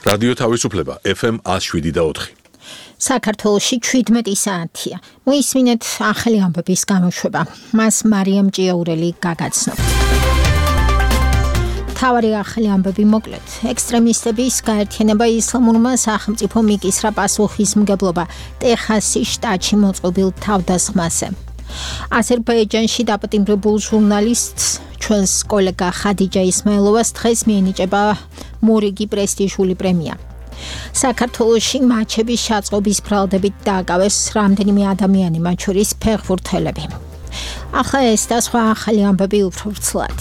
რადიო თავისუფლება FM 107.4. საქართველოში 17 საათია. მოისმინეთ ახალი ამბების გამოშვება. მას მარიამ ჭიაურელი გაგაცნობს. თავარი ახალი ამბები მოკლედ. ექსტრემისტების გაერთიანება ისლამურმა სახელმწიფომ იკისრა პასუხისმგებლობა ტეხასის შტატში მოწყობილ თავდასხმაზე. აზერბაიჯანში დაპატიმრებულ ჟურნალისტს ჩვენს კოლეგა ხადიჯა ისმაილოვას დღეს მიენიჭება მორიგი პრესტიჟული პრემია. საქართველოში მაჩების შაწყობის ბრალდებით დააკავეს რამდენიმე ადამიანი, მათ შორის ფეხბურთელები. ახლა ეს და სხვა ახალი ამბები უფრო ვრცლად.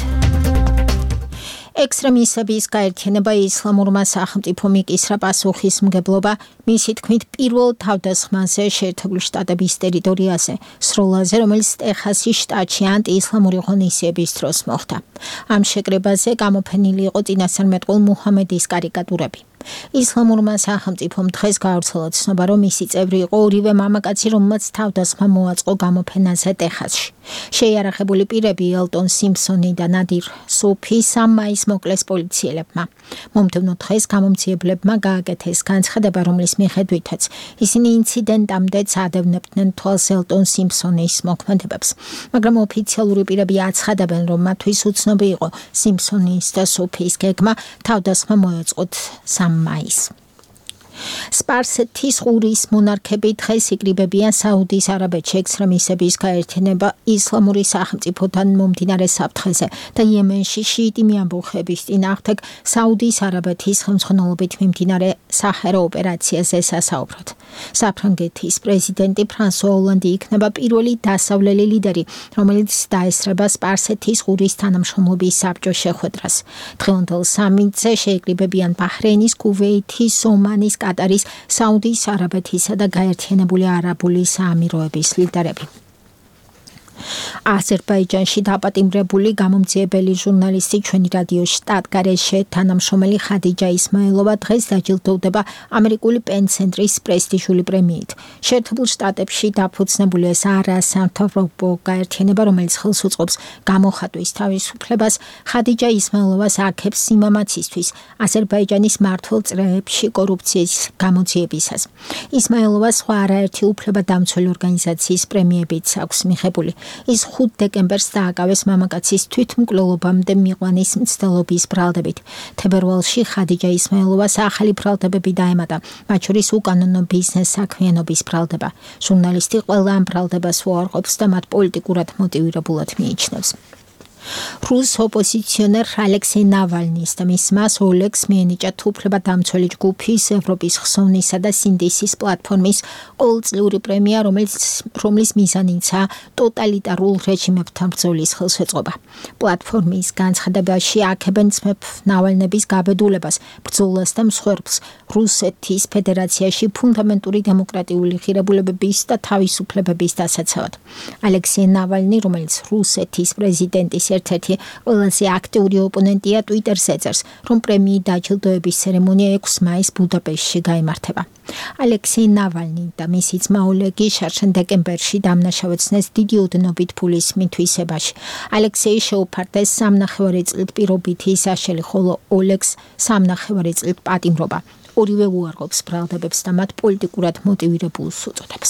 ექსტრემისტების გაერთიანება ისლამურმა სახელმწიფომ იკისრა პასუხისმგებლობა მისი თქმით პირველ თავდასხმაზე შეერთებული შტატების ტერიტორიაზე, სროლაზე, რომელიც ტეხასის შტატში ანტიისლამური ღონისძიების დროს მოხდა. ამ შეკრებაზე გამოფენილი იყო წინასწარმეტყველ მუჰამედის კარიკატურები. ისლამურმა სახელმწიფომ დღეს გაავრცელა ცნობა, რომ მისი წევრი იყო ორივე მამაკაცი, რომელმაც თავდასხმა მოაწყო გამოფენაზე ტეხასში. შეიარაღებული პირები ელტონ სიმფსონი და ნადირ სუფი 3 მაისს მოკლეს პოლიციელებმა. მომდევნო დღეს გამომძიებლებმა გააკეთეს განცხადება, რომლის მიხედვითაც ისინი ინციდენტამდე წადევნებდნენ თვალს ელტონ სიმფსონის მოქმედებებს. მაგრამ ოფიციალური პირები აცხადებენ, რომ მათთვის უცნობი იყო სიმფსონის და სუფის გეგმა თავდასხმა მოეწყოთ 3 მაისს. სპარსეთის ყურის მონარქები დღეს იკრიბებიან საუდის არაბეთში ექსტრემისტების გაერთიანება ისლამური სახელმწიფოდან მომდინარე საფრთხეზე და იემენში შიიტი მიამბოხების წინააღმდეგ საუდის არაბეთის ხელმძღვანელობით მიმდინარე საჰარა ოპერაციაზე სასაუბრად. საფრანგეთის პრეზიდენტი ფრანსუა ოლანდი იქნება პირველი დასავლელი ლიდერი, რომელიც დაესწრება სპარსეთის ყურის თანამშრომლობის საბჭოს შეხვედრას. დღევანდელ სამიტზე შეიკრიბებიან ბაჰრეინის, კუვეითის, ომანის, კატარის, საუდის არაბეთისა და გაერთიანებული არაბული საამიროების ლიდერები. აზერბაიჯანში დაპატიმრებული გამომძიებელი ჟურნალისტი ჩვენი რადიო შტატგარეშე თანამშრომელი ხადიჯა ისმაილოვა დღეს დაჯილდოვდება ამერიკული პენ-ცენტრის პრესტიჟული პრემიით. შეერთებულ შტატებში დაფუძნებული ეს არასამთავრობო გაერთიანება, რომელიც ხელს უწყობს გამოხატვის თავისუფლებას, ხადიჯა ისმაილოვას აქებს სიმამაცისთვის აზერბაიჯანის მმართველ წრეებში კორუფციის გამოძიებისას. ისმაილოვა სხვა არაერთი უფლებადამცველი ორგანიზაციის პრემიებიც აქვს მიღებული. ის 5 დეკემბერს დააკავეს მამაკაცის თვითმკვლელობამდე მიყვანის მცდელობის ბრალდებით. თებერვალში ხადიჯა ისმაილოვას ახალი ბრალდებები დაემატა, მათ შორის უკანონო ბიზნეს საქმიანობის ბრალდება. ჟურნალისტი ყველა ამ ბრალდებას უარყოფს და მათ პოლიტიკურად მოტივირებულად მიიჩნევს. რუს ოპოზიციონერ ალექსეი ნავალნის და მის მას ოლეგს მიენიჭა უფლებადამცველი ჯგუფის ევროპის ხსოვნისა და სინდისის პლატფორმის ყოველწლიური პრემია, რომლის მიზანიცაა ტოტალიტარულ რეჟიმებთან ბრძოლის ხელშეწყობა. პლატფორმის განცხადებაში აქებენ ძმებ ნავალნების გაბედულებას, ბრძოლას და მსხვერპლს რუსეთის ფედერაციაში ფუნდამენტური დემოკრატიული ღირებულებების და თავისუფლებების დასაცავად. ალექსეი ნავალნი, რომელიც რუსეთის პრეზიდენტის ერთ-ერთი ყველაზე აქტიური ოპონენტია, ტვიტერზე წერს, რომ პრემიის დაჯილდოების ცერემონია 6 მაისს ბუდაპეშტში გაიმართება. ალექსეი ნავალნი და მისი ძმა ოლეგი შარშან დეკემბერში დამნაშავეცნეს დიდი ოდენობით ფულის მითვისებაში. ალექსეი შეუფარდეს 3,5 წლით პირობითი საშელი, ხოლო ოლეგს 3,5 წლით პატიმრობა. ორივე უარყოფს ბრალდებებს და მათ პოლიტიკურად მოტივირებულს უწოდებს.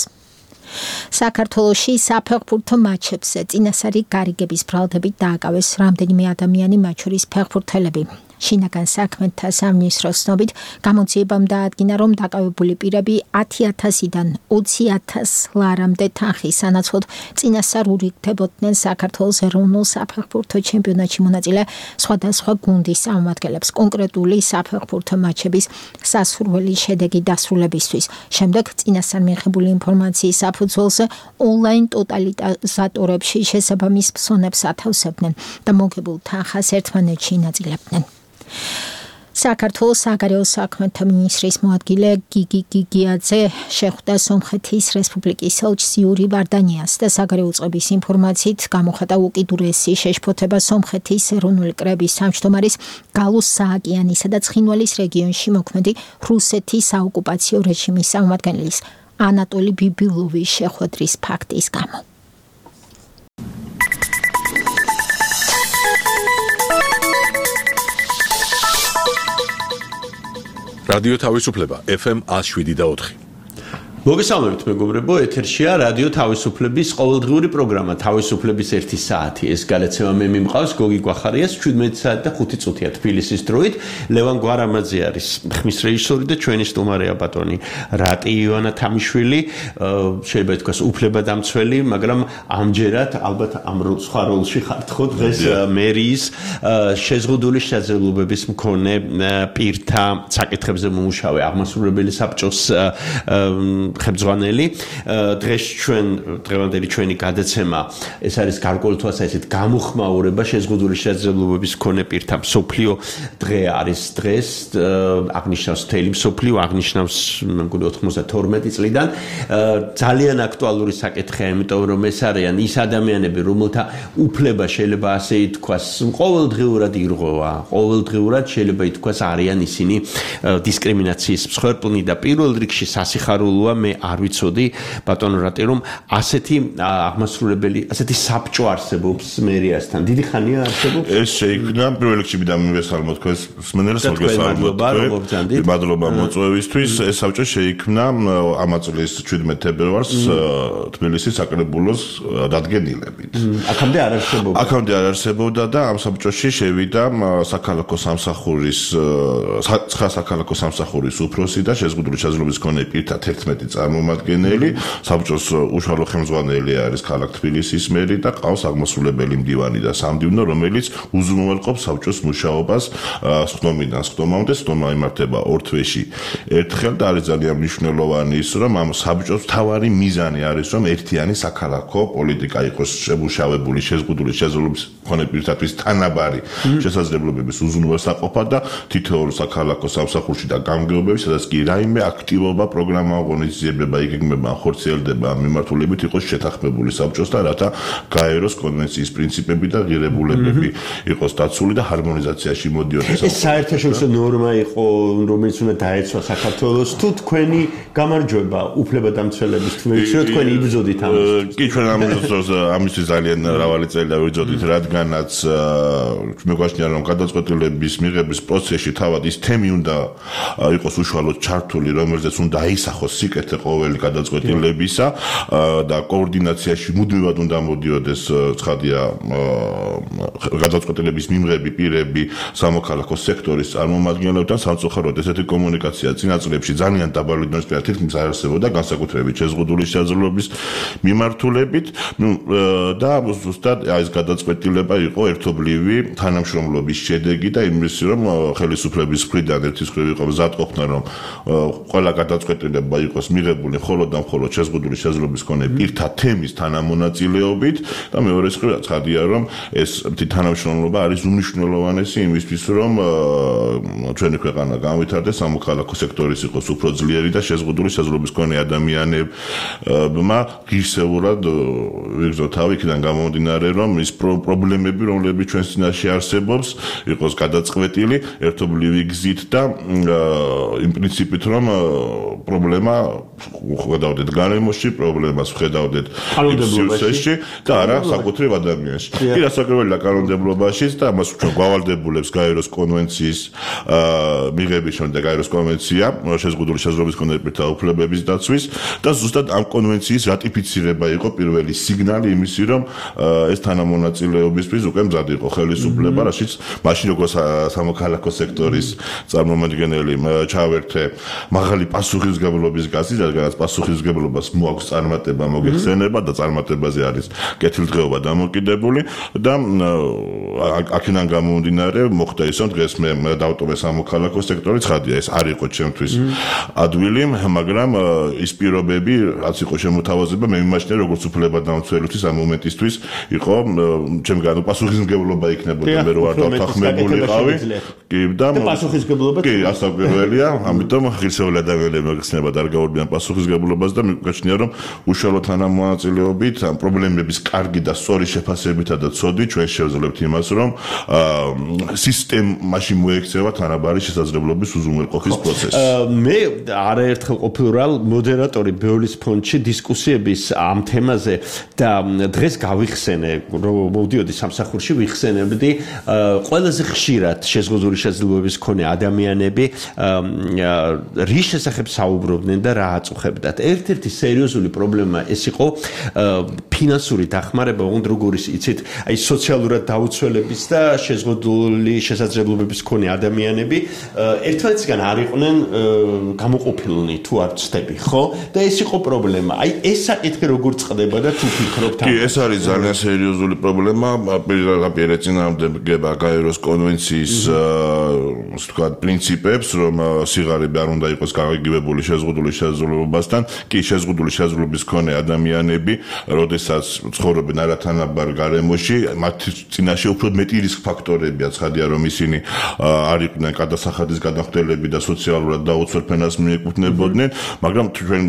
საქართველოში საფეხბურთო მატჩებზე წინასწარი გარიგების ბრალდებით დააკავეს რამდენიმე ადამიანი, მათ შორის ფეხბურთელები. შინაგან საქმეთა სამინისტროს ცნობით გამოძიებამ დაადგინა, რომ დაკავებული პირები 10,000-დან 20,000 ლარამდე თანხის სანაცვლოდ წინასწარ ურიგდებოდნენ საქართველოს ეროვნულ საფეხბურთო ჩემპიონატში მონაწილე სხვადასხვა გუნდის წარმომადგენლებს კონკრეტული საფეხბურთო მატჩების სასურველი შედეგი დასრულებისთვის. შემდეგ წინასწარ მიღებული ინფორმაციის საფუძველზე ონლაინ ტოტალიზატორებში შესაბამის ფსონებს ათავსებდნენ და მოგებულ თანხას ერთმანეთში ინაწილებდნენ. საქართველოს საგარეო საქმეთა მინისტრის მოადგილე გიგი გიგიაძე შეხვდა სომხეთის რესპუბლიკის ელჩს იური ვარდანიას და საგარეო წყების ინფორმაციით გამოხატა უკიდურესი შეშფოთება სომხეთის ეროვნული კრების თავმჯდომარის გალუს სააკიანისა და ცხინვალის რეგიონში მოქმედი რუსეთის საოკუპაციო რეჟიმის წარმომადგენლის ანატოლი ბიბილოვის შეხვედრის ფაქტის გამო. რადიო თავისუფლება FM 107.4. მოგესალმებით მეგობრებო, ეთერშია რადიო თავისუფლების ყოველდღიური პროგრამა თავისუფლების 1 საათი. ეს გადაცემა მე მიმყავს გოგი გვახარიას 17 საათი და 5 წუთია თბილისის დროით. ლევან გვარამაძე არის ხმის რეჟისორი და ჩვენი სტუმარია ბატონი რატი ივანა თამიშვილი, შეიძლება ითქვას უფლებადამცველი, მაგრამ ამჯერად ალბათ ამ სხვა როლში ხართ ხო დღეს მერიის შეზღუდული შესაძლებლობების მქონე პირთა საკითხებზე მომუშავე აღმასრულებელი საბჭოს ხებძღვანელი. დღეს დღევანდელი ჩვენი გადაცემა ეს არის გარკვეული თვალსაზრისით გამოხმაურება შეზღუდული შესაძლებლობების მქონე პირთა მსოფლიო დღე არის დღეს, აღნიშნავს მთელი მსოფლიო, აღნიშნავს მე მგონი 92 წლიდან. ძალიან აქტუალური საკითხია, იმიტომ რომ ეს არიან ის ადამიანები, რომელთა უფლება შეიძლება ასე ითქვას ყოველდღიურად ირღვევა, ყოველდღიურად შეიძლება ითქვას არიან ისინი დისკრიმინაციის მსხვერპლნი და პირველ რიგში სასიხარულოა მე არ ვიცოდი ბატონო რატი რომ ასეთი აღმასრულებელი, ასეთი საბჭო არსებობს მერიასთან. დიდი ხანია არსებობს? ეს შეიქმნა პირველ რიგში მიდან მივესალმო თქვენს მსმენელს, მოგესალმებით. მადლობა მოწვევისთვის. ეს საბჭო შეიქმნა ამ წლის 17 თებერვალს თბილისის საკრებულოს დადგენილებით. აქამდე არ არსებობდა. აქამდე არ არსებობდა და ამ საბჭოში შევიდა საქალაქო სამსახურის 9 საქალაქო სამსახურის უფროსი და შეზღუდული შესაძლებლობის მქონე პირთა 11 წარმომადგენელი, საბჭოს უშუალო ხელმძღვანელი არის ქალაქ თბილისის მერი და ყავს აღმასრულებელი მდივანი და სამდივნო, რომელიც უზრუნველყოფს საბჭოს მუშაობას სხდომიდან სხდომამდე. სხდომა იმართება ორ თვეში ერთხელ და არის ძალიან მნიშვნელოვანი ის, რომ ამ საბჭოს მთავარი მიზანი არის, რომ ერთიანი საქალაქო პოლიტიკა იყოს შემუშავებული შეზღუდული შესაძლებლობის მქონე პირთათვის თანაბარი შესაძლებლობების უზრუნველსაყოფად და თითოეულ საქალაქო სამსახურში და გამგეობებში, სადაც კი რაიმე აქტივობა პროგრამა ორგანიზება იგეგმება, ხორციელდება მიმართულებით იყოს შეთანხმებული საბჭოსთან, რათა გაეროს კონვენციის პრინციპები და ღირებულებები იყოს დაცული და ჰარმონიზაციაში მოდიოდეს. ეს საერთაშორისო ნორმა იყო, რომელიც უნდა დაეცვა საქართველოს, თუ თქვენი გამარჯვება უფლებადამცველების თქმით, რომ თქვენი იბრძოდით ამისთვის. კი, ჩვენ ამისთვის ძალიან მრავალი წელი დავიბრძოდით, რადგანაც მე გვაჩნია, რომ გადაწყვეტილების მიღების პროცესში თავად ის თემი უნდა იყოს უშუალოდ ჩართული, რომელზეც უნდა აისახოს სიკეთე ყოველი გადაწყვეტილებისა და კოორდინაციაში მუდმივად უნდა მოდიოდეს ცხადია გადაწყვეტილების მიმღები პირები სამოქალაქო სექტორის წარმომადგენლებთან. სამწუხაროდ ესეთი კომუნიკაცია წინა წლებში ძალიან დაბალი დონის თითქმის არ არსებობდა, განსაკუთრებით შეზღუდული შესაძლებლობის მიმართულებით და ზუსტად ეს გადაწყვეტილება იყო ერთობლივი თანამშრომლობის შედეგი და იმისი, რომ ხელისუფლების მხრიდან ერთის მხრივ იყო მზად ყოფნა, რომ ყველა გადაწყვეტილება იყოს მიღებული მხოლოდ და მხოლოდ შეზღუდული შესაძლებლობის მქონე პირთა თემის თანამონაწილეობით და მეორე მხრივ ცხადია, რომ ეს თანამშრომლობა არის უმნიშვნელოვანესი იმისთვის, რომ ჩვენი ქვეყანა განვითარდეს, სამოქალაქო სექტორის იყოს უფრო ძლიერი და შეზღუდული შესაძლებლობის მქონე ადამიანებმა ღირსეულად ვიგრძნოთ თავი იქიდან გამომდინარე, რომ ის პრობლემები, რომლებიც ჩვენს წინაშე არსებობს, იყოს გადაწყვეტილი ერთობლივი გზით და იმ პრინციპით, რომ პრობლემა ხედავდეთ გარემოში, პრობლემას ხედავდეთ სივრცეში და არა საკუთრივ ადამიანში. კი, რასაკვირველია კანონმდებლობაშიც და ამას ჩვენ გვავალდებულებს გაეროს კონვენციის მიღების შემდეგ გაეროს კონვენცია შეზღუდული შესაძლებლობის მქონე პირთა უფლებების დაცვის და ზუსტად ამ კონვენციის რატიფიცირება იყო პირველი სიგნალი იმისი, რომ ეს თანამონაწილეობისთვის უკვე მზად იყო ხელისუფლება, რაშიც მაშინ როგორც სამოქალაქო სექტორის წარმომადგენელი ჩავერთე მაღალი პასუხისმგებლობის გაზი, რადგანაც პასუხისმგებლობას მოაქვს წარმატება, მოგეხსენება და წარმატებაზე არის კეთილდღეობა დამოკიდებული და აქედან გამომდინარე მოხდა ის, რომ დღეს მე დავტოვე სამოქალაქო სექტორი, ცხადია ეს არ იყო ჩემთვის ადვილი, მაგრამ ის პირობები, რაც იყო შემოთავაზება, მე მიმაჩნია როგორც უფლებადამცველისთვის ამ მომენტისთვის იყო ჩემგან პასუხისმგებლობა იქნებოდა მე რო არ დავთანხმებულიყავი. კი და პასუხისმგებლობა კი, ასაკურველია, ამიტომ ღირსეული ადამიანები მოგხსნება და არ გაურბიან პასუხისმგებლობას და მიგაჩნია რომ უშუალო თანამონაწილეობით ამ პრობლემების კარგი და სწორი შეფასებითა და ცოდვით ჩვენ შევძლებთ იმას რომ სისტემაში მოექცევა თანაბარი შესაძლებლობის უზრუნველყოფის პროცესი. მე არაერთხელ ყოფილვარ მოდერატორი ბეოლის ფონდში დისკუსიების ამ თემაზე და დღეს გავიხსენე რომ მოვდიოდი სამსახურში ვიხსენებდი ყველაზე ხშირად შეზღუდული შესაძლებლობების მქონე ადამიანები რის შესახებ საუბრობდნენ და რა აწუხებდათ. ერთ-ერთი სერიოზული პრობლემა ეს იყო ფინანსური დახმარება, ოღონდ როგორ იცით, აი სოციალურად დაუცველების და შეზღუდული შესაძლებლობების მქონე ადამიანები ერთმანეთისგან არ იყვნენ გამოყოფილნი თუ არ ვცდები, ხო? და ეს იყო პრობლემა. აი ეს საკითხი როგორ წყდება და თუ ფიქრობთ კი, ეს არის ძალიან სერიოზული პრობლემა. პირდაპირ ეწინააღმდეგება გაეროს კონვენციის ვთქვათ პრინციპებს, რომ სიღარიბე არ უნდა იყოს გაგიგებებული შეზღუდული შესაძლებლობასთან. კი, შეზღუდული შესაძლებლობის მქონე ადამიანები, როდესაც ცხოვრობენ არათანაბარ გარემოში, მათ წინაშე უფრო მეტი რისკ ფაქტორებია, ცხადია რომ ისინი არ იყვნენ გადასახადის გადახდელები და სოციალურად დაუცველ ფენას მიეკუთვნებოდნენ, მაგრამ ჩვენ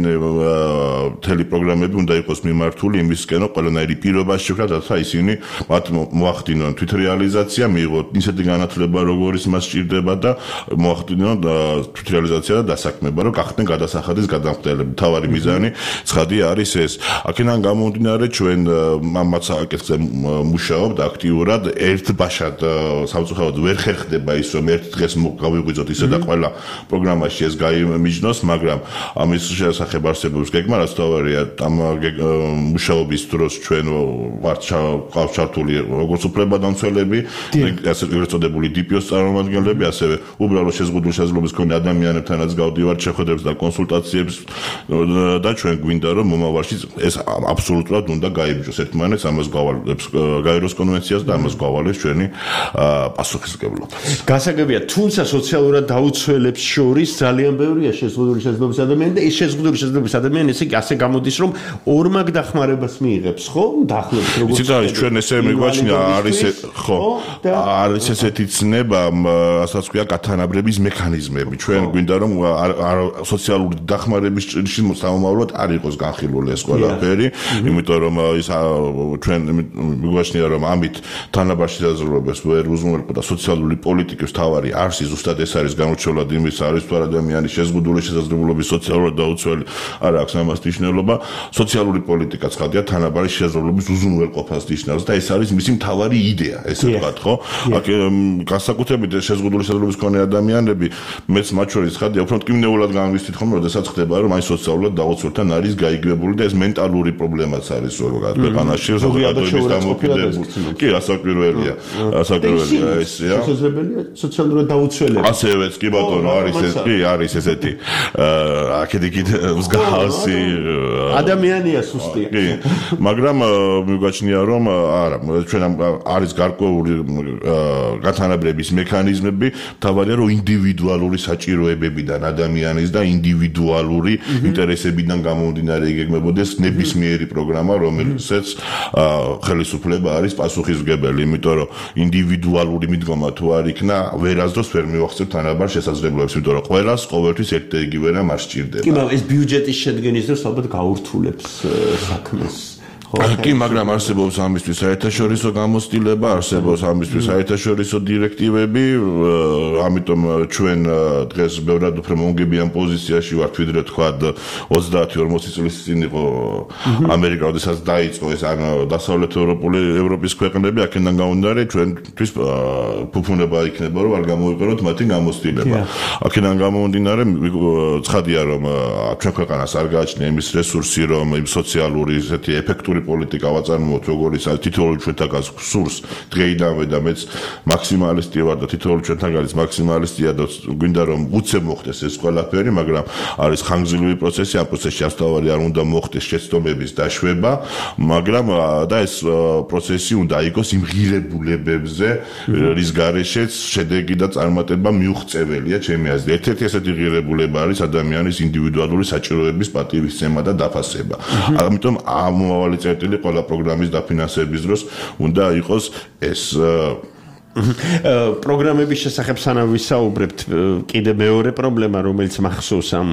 მთელი პროგრამები უნდა იყოს მიმართული იმისკენ, რომ ყველანაირი პირობა შექმნათ, რათა ისინი მათ მოახდინონ თვითრეალიზაცია, მიიღოთ ისეთი განათლება, როგორიც მას სჭირდება და მოახდინონ თვითრეალიზაცია და დასაქმება, რომ გახდნენ გადასახადის გადახდელები. თავარი მიზანი ცხადია არის ეს. აქედან გამომდინარე ჩვენ ამაც საკითხზე მუშაობთ აქტიურად, ერთბაშად სამწუხაროდ ვერ ხერხდება ის, რომ ერთ დღეს გავიღვიძოთ ისე და ყველა პროგრამაში ეს გაიმიჯნოს, მაგრამ ამის შესახებ არსებობს გეგმა, რაც თავარია ამ მუშაობის დროს ჩვენ ვართ ჩართული როგორც უფლებადამცველები, ასე წოდებული DPO-ს წარმომადგენლები, ასევე უბრალო შეზღუდული შესაძლებლობის მქონე ადამიანებთანაც გავდივართ შეხვედრებს და კონსულტაციებს და ჩვენ გვინდა რომ მომავალში ეს აბსოლუტურად უნდა გაიბიჯოს ერთმანეთს, ამას გავალებს გაეროს კონვენციას და ამას გავალებს ჩვენი პასუხისმგებლობა. გასაგებია, თუმცა სოციალურად დაუცველებს შორის ძალიან ბევრია შეზღუდული შესაძლებლობის ადამიანი და ეს შეზღუდული შესაძლებლობის ადამიანი ასე გამოდის რომ ორმაგ დახმარებას მიიღებს, ხო? დაახლოებით როგორც იცით არის ჩვენ ესე მიგვაჩნია არის ხო არის ესეთი ცნება, ასაც ქვია გათანაბრების მექანიზმები. ჩვენ გვინდა რომ სოციალური დახმარების ჭრილში სამომავლოდ არ იყოს განხილული ეს ყველაფერი, იმიტომ რომ ის ჩვენ მიგვაჩნია რომ ამით თანაბარ შესაძლებლობებს ვერ უზრუნველყოფდა სოციალური პოლიტიკის თავარი არსი ზუსტად ეს არის განურჩევლად იმის არის თუ ადამიანის შეზღუდული შესაძლებლობის სოციალურად დაუცველი არ აქვს ამას მნიშვნელობა. სოციალური პოლიტიკა ცხადია თანაბარი შესაძლებლობის უზრუნველყოფას ნიშნავს და ეს არის მისი მთავარი იდეა, ესე ვთქვათ, ხო? აქ განსაკუთრებით შეზღუდული შესაძლებლობის მქონე ადამიანები მეც მათ შორის ცხადია უფრო მტკივნეულად განვისვით ხომ, როდესაც ხდება რომ აი სოციალურად დაუცველთან არის გაიგებული და ეს მენტალური პრობლემაც არის ზოგადად ქვეყანაში, საზოგადოების დამოუკიდებლობა. კი, ასაკვირველია. ასაკვირველია ესეა. შესაძლებელია სოციალურად დაუცველები. ასევეც კი ბატონო არის ეს, კი არის ესეთი აქედიქით მსგავსი ადამიანია სუსტი. კი, მაგრამ მიგვაჩნია რომ არა, ჩვენ არის გარკვეული გათანაბრების მექანიზმები, თავარია რომ ინდივიდუალური საჭიროებებიდან ადამიანის და ინდივიდუალური ინტერესებიდან გამომდინარე იგეგმებოდეს ნებისმიერი პროგრამა, რომელსაც ხელისუფლება არის პასუხისმგებელი, იმიტომ რომ ინდივიდუალური მიდგომა თუ არ იქნა, ვერასდროს ვერ მივახცევთ თანაბარ შესაძლებლობებს, იმიტომ რომ ყველას ყოველთვის ერთ და იგივე რამ არ სჭირდება. კი, მაგრამ ეს ბიუჯეტის შედგენის დროს ალბათ გაურთულებს საქმეს. კი, მაგრამ არსებობს ამისთვის საერთაშორისო გამოცდილება, არსებობს ამისთვის საერთაშორისო დირექტივები, ამიტომ ჩვენ დღეს ბევრად უფრო მომგებიან პოზიციაში ვართ, ვიდრე თქვა 30-40 წლის წინ იყო ამერიკა, როდესაც დაიწყო ეს დასავლეთ ევროპის ქვეყნები, აქედან გამომდინარე ჩვენთვის ფუფუნება იქნება, რომ არ გამოვიყენოთ მათი გამოცდილება. აქედან გამომდინარე ცხადია, რომ ჩვენ ქვეყანას არ გააჩნია იმის რესურსი, რომ იმ სოციალური ესეთი ეფექტური პოლიტიკა ვაწარმოოთ, როგორც თითოეული ჩვენთაგან სურს დღეიდანვე და მეც მაქსიმალისტი ვარ და თითოეული ჩვენთაგანის მაქსიმალისტია და გვინდა რომ უცებ მოხდეს ეს ყველაფერი, მაგრამ არის ხანგრძლივი პროცესი, ამ პროცესში ასთავარი არ უნდა მოხდეს შეცდომების დაშვება, მაგრამ და ეს პროცესი უნდა იყოს იმ ღირებულებებზე, რის გარეშეც შედეგი და წარმატება მიუღწეველია ჩემი აზრით. ერთ-ერთი ესეთი ღირებულება არის ადამიანის ინდივიდუალური საჭიროების პატივისცემა და დაფასება. ამიტომ ამავალი წერტილი ყველა პროგრამის დაფინანსების დროს უნდა იყოს ეს პროგრამების შესახებ სანამ ვისაუბრებთ, კიდე მეორე პრობლემა, რომელიც მახსოვს ამ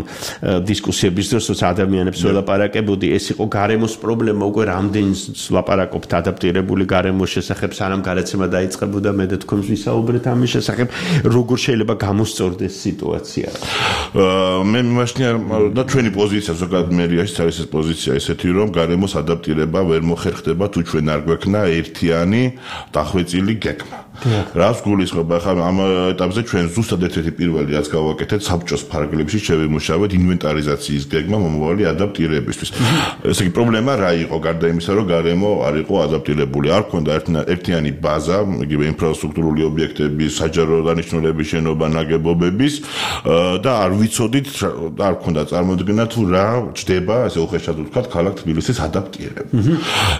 დისკუსიების დროს, როცა ადამიანებს ველაპარაკებოდი, ეს იყო გარემოს პრობლემა, უკვე რამდენს ლაპარაკობთ ადაპტირებული გარემოს შესახებ, სანამ გადაცემა დაიწყებოდა, მე და თქვენ ვისაუბრეთ ამის შესახებ, როგორ შეიძლება გამოსწორდეს სიტუაცია. მე მიმაჩნია და ჩვენი პოზიცია ზოგადად მერიაში არის ეს პოზიცია ესეთი, რომ გარემოს ადაპტირება ვერ მოხერხდება თუ ჩვენ არ გვექნა ერთიანი დახვეწილი გეგმა. რას გულისხმობა ხა ამ ეტაპზე ჩვენ ზუსტად ერთ-ერთი პირველი რაც გავაკეთეთ საბჭოს ფარგლებში შევიმუშავეთ ინვენტარიზაციის გეგმა მომავალი ადაპტირებისთვის. ესე იგი პრობლემა რა იყო გარდა იმისა რომ გარემო არ იყო ადაპტირებული, არ ქონდა ერთიანი ბაზა, იგივე ინფრასტრუქტურული ობიექტების, საჯარო დანიშნულების შენობა, ნაგებობების და არ ვიცოდით და არ ქონდა წარმოდგენა თუ რა ჩდება, ასე უხეშად ვთქვათ, ქალაქ თბილისის ადაპტირება.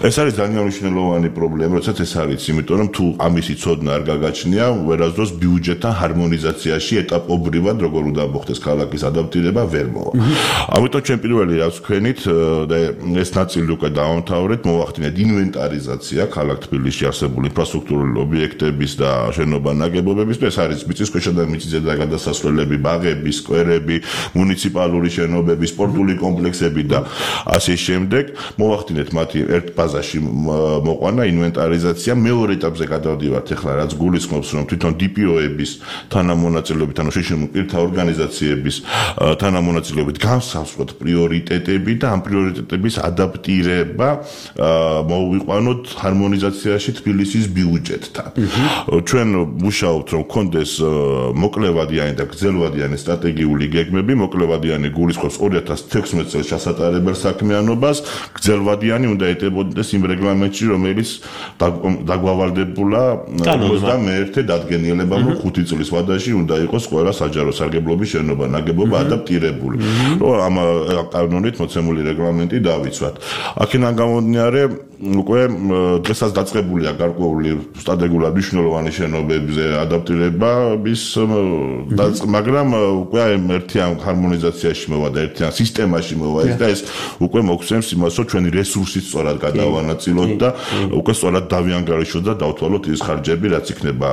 ეს არის ძალიან მნიშვნელოვანი პრობლემა, როდესაც ეს არის, იმიტომ რომ თუ ამისი ცოდნა არ გაგაჩნია, ვერასდროს ბიუჯეტთან ჰარმონიზაციაში ეტაპობრივად როგორ უნდა მოხდეს ქალაქის ადაპტირება ვერ მოვა. ამიტომ ჩვენ პირველი რაც ვქენით და ეს ნაწილი უკვე დავამთავრეთ, მოვახდინეთ ინვენტარიზაცია ქალაქ თბილისში არსებული ინფრასტრუქტურული ობიექტების და შენობა ნაგებობების, ეს არის მიწისქვეშა და მიწისზედა გადასასვლელები, ბაღები, სკვერები, მუნიციპალური შენობები, სპორტული კომპლექსები და ასე შემდეგ. მოვახდინეთ მათი ერთ ბაზაში მოყვანა ინვენტარიზაცია, მეორე ეტაპზე გადავდივართ ახლა რაც გულისხმობს რომ თვითონ DPO-ების თანამონაწილეობით ანუ შეშინებული პირთა ორგანიზაციების თანამონაწილეობით განსაზღვროთ პრიორიტეტები და ამ პრიორიტეტების ადაპტირება მოვიყვანოთ ჰარმონიზაციაში თბილისის ბიუჯეტთან. ჩვენ ვუშაობთ რომ კონდეს მოკლევადიანი და გრძელვადიანი სტრატეგიული გეგმები, მოკლევადიანი გულისხმობს 2016 წელს ჩასატარებელ საქმიანობას, გრძელვადიანი უნდა ეტებოდეს იმ რეგლამენტში რომელიც დაგვავალდებულა 21 დადგენილება რომ 5 წლის ვადაში უნდა იყოს ყველა საჯარო სარგებლობის შენობა ნაგებობა ადაპტირებული. რომ ამ კანონით მოცემული რეგლამენტი დავიცვათ. აქედან გამომდინარე უკვე დღესაც დაწყებულია გარკვეული სტრატეგიულად მნიშვნელოვანი შენობებზე ადაპტირების მაგრამ უკვე ერთიან ჰარმონიზაციაში მოვა და ერთიან სისტემაში მოვა და ეს უკვე მოგცემს იმას რომ ჩვენი რესურსით სწორად გადავანაწილოთ და უკვე სწორად დავიანგარიშოთ და დავთვალოთ ის ხარჯები რაც იქნება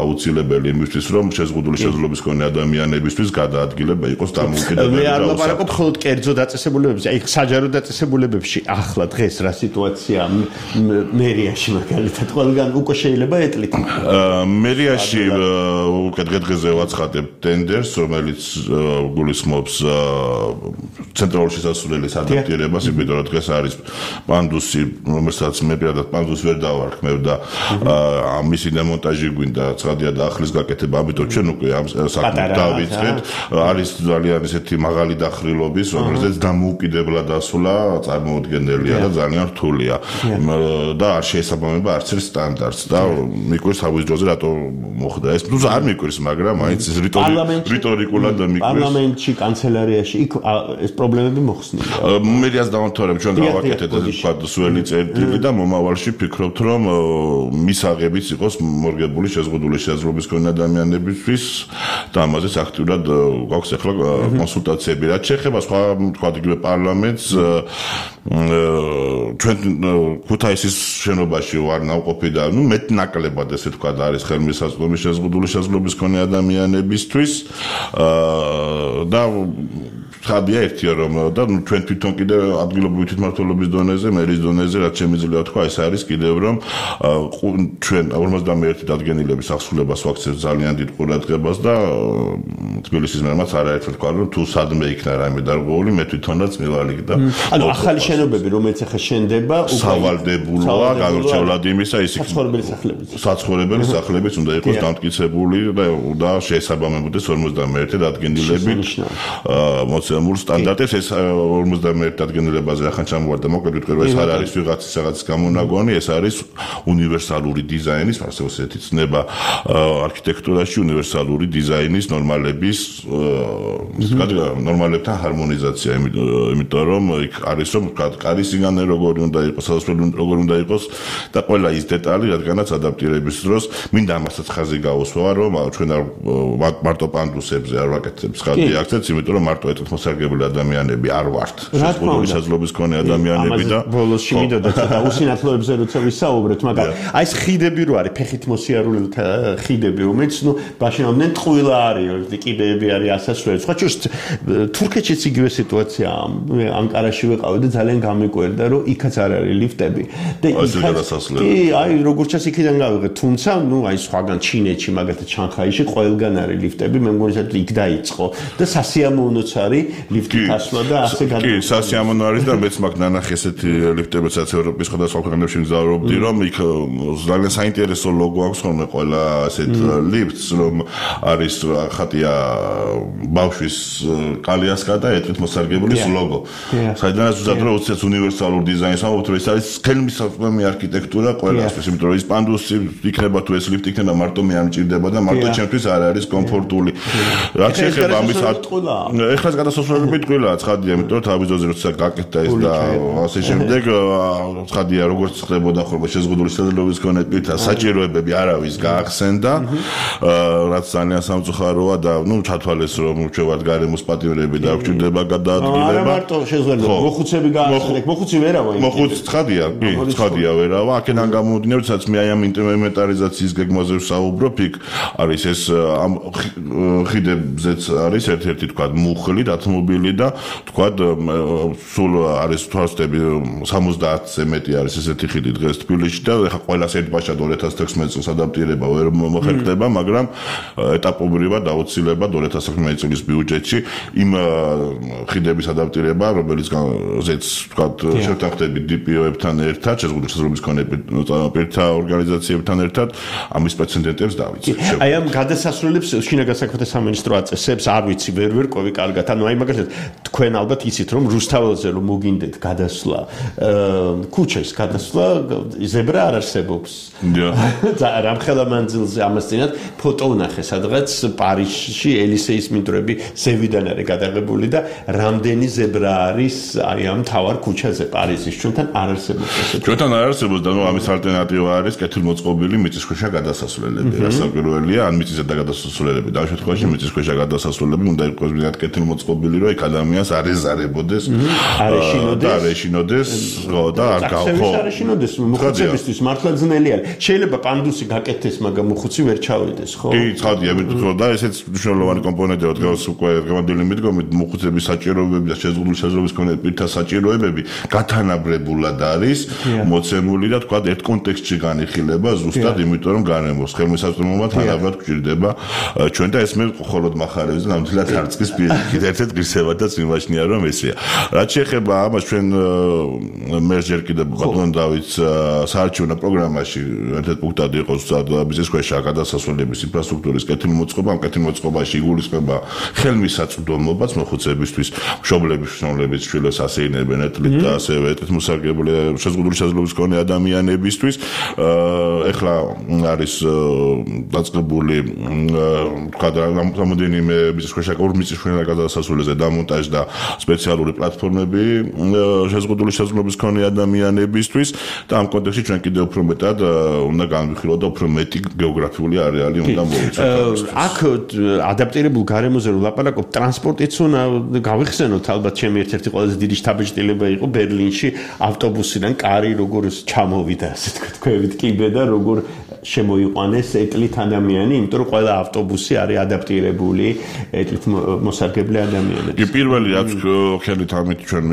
აუცილებელი იმისთვის რომ შეზღუდული შესაძლებლობის მქონე ადამიანებისთვის გადაადგილება იყოს დამოუკიდებელი. მე არ ლაპარაკობ მხოლოდ კერძო დაწესებულებებზე, აი საჯარო დაწესებულებებში ახლა დღეს რა სიტუაცია მერიაში მაგალითად ყველგან უკვე შეიძლება ეტლით. მერიაში უკვე დღე-დღეზე ვაცხადებ ტენდერს, რომელიც გულისხმობს ცენტრალური შესასვლელის ადაპტირებას, იმიტომ რომ დღეს არის პანდუსი, რომელსაც მე პირადად პანდუსს ვერ დავარქმევ და მისი დემონტაჟი გვინდა, ცხადია და ახლის გაკეთება, ამიტომ ჩვენ უკვე ამ საქმეს დავიწყეთ. არის ძალიან ესეთი მაღალი დახრილობის, რომელზეც დამოუკიდებლად დასვლა წარმოუდგენელია და ძალიან რთულია. და არ შეესაბამება არც ერთ სტანდარტს და მიკვირს თავის დროზე რატო მოხდა ეს. ნუ არ მიკვირს, მაგრამ მაინც რიტორიკულად მიკვირს. პარლამენტში, კანცელარიაში იქ ეს პრობლემები მოხსნილია. მე რას დავამთავრებ, ჩვენ გავაკეთეთ თქვა სველი წერტილი და მომავალში ფიქრობთ რომ მისაღებიც იყოს მორგებული შეზღუდული შესაძლებლობის მქონე ადამიანებისთვის და ამაზეც აქტიურად გვაქვს ახლა კონსულტაციები. რაც შეეხება სხვა თქვა იგივე პარლამენტს ჩვენ ქუთაისის შენობაში ვარ ნავყოფი და ნუ მეტ ნაკლებად ესე თქვა არის ხელმისაწვდომი შეზღუდული შესაძლებლობის მქონე ადამიანებისთვის და ხადია ერთია რომ და ჩვენ თვითონ კიდე ადგილობრივი თვითმმართველობის დონეზე, მერის დონეზე რაც შემიძლია თქვა ეს არის კიდევ რომ ჩვენ 51 დადგენილების აღსრულებას ვაქცევთ ძალიან დიდ ყურადღებას და თბილისის მერმაც არაერთხელ თქვა რომ თუ სადმე იქნა რამე დარღვეული მე თვითონაც მივალიგ და ანუ ახალი შენობები რომელიც ახლა შენდება სავალდებულოა განურჩევლად იმისა ის საცხოვრებელი სახლებიც უნდა იყოს დამტკიცებული და შეესაბამებოდეს 51 დადგენილებით მოცემულ სტანდარტებს ეს 51 დადგენილებაზე ახლა ჩამოვარდა მოკლედ ვიტყვი რომ ეს არ არის ვიღაცის გამონაგონი ეს არის უნივერსალური დიზაინის ასე ვთქვით ცნება არქიტექტურაში უნივერსალური დიზაინის ნორმალების ნორმალებთან ჰარმონიზაცია იმიტომ რომ იქ არის რომ კარის სიგანე როგორი უნდა იყოს სასასვლელი როგორი უნდა იყოს და ყველა ის დეტალი რადგანაც ადაპტირების დროს მინდა ამასაც ხაზი გაუსვა რომ ჩვენ არ მარტო პანდუსებზე არ ვაკეთებ ხაზი აქცენტს იმიტომ რომ მარტო ერთით მოსარგებლე ადამიანები არ ვართ. შეზღუდული შესაძლებლობის მქონე ადამიანები და ბოლოსში მინდოდა ცოტა უსინათლოებზე როცა ვისაუბრეთ, მაგრამ აი ეს ხიდები რო არის, ფეხით მოსიარულე ხიდები, რომელიც ნუ ბაშინავდნენ ტყუილა არის, კიბეები არის ასასვლელი. სხვა შორის თურქეთშიც იგივე სიტუაციაა. ანკარაში ვიყავი და ძალიან გამიკვირდა, რომ იქაც არ არის ლიფტები. და კი, აი როგორც ჩას იქიდან გავიღე, თუმცა ნუ აი სხვაგან ჩინეთში, მაგალითად შანხაიში ყველგან არის ლიფტები, მე მგონი რომ იქ დაიწყო და სასიამოვნოც არის ლიფტი გასვლა და ასე კი, სასიამოვნო არის და მეც მაგ ნანახი ესეთი ლიფტებიც ევროპის სხვადასხვა ქვეყნებში მგზავრობდი, რომ იქ ძალიან საინტერესო ლოგო აქვს ხოლმე ყველა ასეთ ლიფტს, რომ არის ხატია ბავშვის კალიასკა და ეტლით მოსარგებლის ლოგო. საიდანაც უზადრო უცეთ უნივერსალურ დიზაინს ამბობთ, რომ ეს არის ხელმისაწვდომი არქიტექტურა ყველასთვის, იმიტომ რომ ის პანდუსი იქნება თუ ეს ლიფტი იქნება მარტო მე არ მჭირდება და მარტო ჩემთვის არ არის კომფორტული. რაც შეეხება ამის ეხლა გადასასვლელები ტყუილაა, ცხადია, იმიტომ რომ თავის ძოზე როცა გაკეთდა ეს და ასე შემდეგ, ცხადია, როგორც ხდებოდა ხოლმე შეზღუდული შესაძლებლობის მქონე პირთა საჭიროებები არავის გაახსენდა, რაც ძალიან სამწუხაროა და ნუ ჩათვალეს, რომ ჩვენ ვართ გარემოს პატიმრები და გვჭირდება გადაადგილება. არა მარტო შესაძლებლობა, მოხუცები გაახსენეთ, მოხუცი ვერავა. მოხუცი ცხადია, კი, ცხადია ვერავა. აქედან გამომდინარე, სადაც მე აი ამ ინვენტარიზაციის გეგმაზე ვსაუბრობ, იქ არის ეს ამ ხიდებზეც არის ერთ-ერთი თქვა მუხლი, დათმობილი და თქვა სულ არის თვალსწრები 70-ზე მეტი არის ესეთი ხიდი დღეს თბილისში და ეხა ყველას ერთბაშად 2016 წელს ადაპტირება ვერ მოხერხდება, მაგრამ ეტაპობრივად აუცილებლად 2016 წლის ბიუჯეტში იმ ხიდების ადაპტირება, რომელიც ზეც თქვა შევთანხმდებით DPO-ებთან ერთად, შეზღუდული შესაძლებლობის მქონე პირთა ორგანიზაციებთან ერთად, ამის პრეცედენტებს დავიწყეთ. აი ამ გადასასვლელებს შინაგან საქმეთა სამინისტრო აწესებს, არ ვიცი, ვერ ყვევი კარგად. ანუ აი მაგალითად თქვენ ალბათ იცით, რომ რუსთაველზე რომ მოგინდეთ გადასვლა, ქუჩის გადასვლა, ზებრა არ არსებობს. და რამხელა მანძილზე ამას წინათ ფოტო ვნახე, სადღაც პარიზში ელისეის მინდვრები ზევიდან არის გადაღებული და რამდენი ზებრა არის აი ამ თავარ ქუჩაზე პარიზის. ჩვენთან არ არსებობს ესეთი. ჩვენთან არ არსებობს და ნუ ამის ალტერნატივა არის კეთილმოწყობილი მიწისქვეშა გადასასვლელები. რასაკვირველია, ან მიწისზედა გადასასვლელები, და ამ შემთხვევაში მიწისქვეშა გადასასვლელები უნდა იყოს მიდათ კეთილმოწყობილი, რომ იქ ადამიანს არ ეზარებოდეს, არ ეშინოდეს, და არ გავხო. არ ეშინოდეს, მოხუცებისთვის მართლა ძნელი არის. შეიძლება პანდუსი გაკეთდეს, მაგრამ მოხუცი ვერ ჩავიდეს, ხო? კი, ცხადია, და ესეც მნიშვნელოვანი კომპონენტია, დღეს უკვე გამოდილი მიდგომით, მოხუცების საჭიროებები და შეზღუდული შესაძლებლობის მქონე პირთა საჭიროებები გათანაბრებულად არის მოცემული და თქვა ერთ კონტექსტში განიხილება ზუსტად, იმიტომ რომ გარემოს ხელმისაწვდომობა თანაბრად გვჭირდება ჩვენ და ეს მე მხოლოდ მახარებს და ნამდვილად არწკის პირიქით ერთ-ერთ ღირსებადაც მიმაჩნია, რომ ესეა. რაც შეეხება ამას, ჩვენ მე ჯერ კიდევ ბატონ დავითს საარჩევნო პროგრამაში ერთ-ერთ პუნქტად იყოს მიწისქვეშა გადასასვლელების ინფრასტრუქტურის კეთილმოწყობა, ამ კეთილმოწყობაში იგულისხმება ხელმისაწვდომობაც მოხუცებისთვის, მშობლების შრომლების შვილებს ასეინებენ ეტლით და ასევე ეტლით მოსარგებლე შეზღუდული შესაძლებლობის მქონე ადამიანებისთვის. ეხლა არის დაწყებული თქვა რამდენიმე მიწისქვეშა გადასასვლელზე დამონტაჟ და სპეციალური პლატფორმები შეზღუდული შესაძლებლობის მქონე ადამიანებისთვის და ამ კონტექსტში ჩვენ კიდევ უფრო მეტად უნდა განვიხილოთ და უფრო მეტი გეოგრაფიული არეალი უნდა მოვიცოთ. აქ ადაპტირებულ გარემოზე რომ ლაპარაკობ, ტრანსპორტიც უნდა გავიხსენოთ, ალბათ ჩემი ერთ-ერთი ყველაზე დიდი შთაბეჭდილება იყო ბერლინში ავტობუსიდან კარი როგორ ჩამოვიდა, ასე თქვით, კიბე და როგორ შემოიყვანეს ეტლით ადამიანი, იმიტომ რომ ყველა ავტობუსი არის ადაპტირებული ეტლით მოსარგებლე ადამიანებს. კი, პირველი რაც ხელით ამით ჩვენ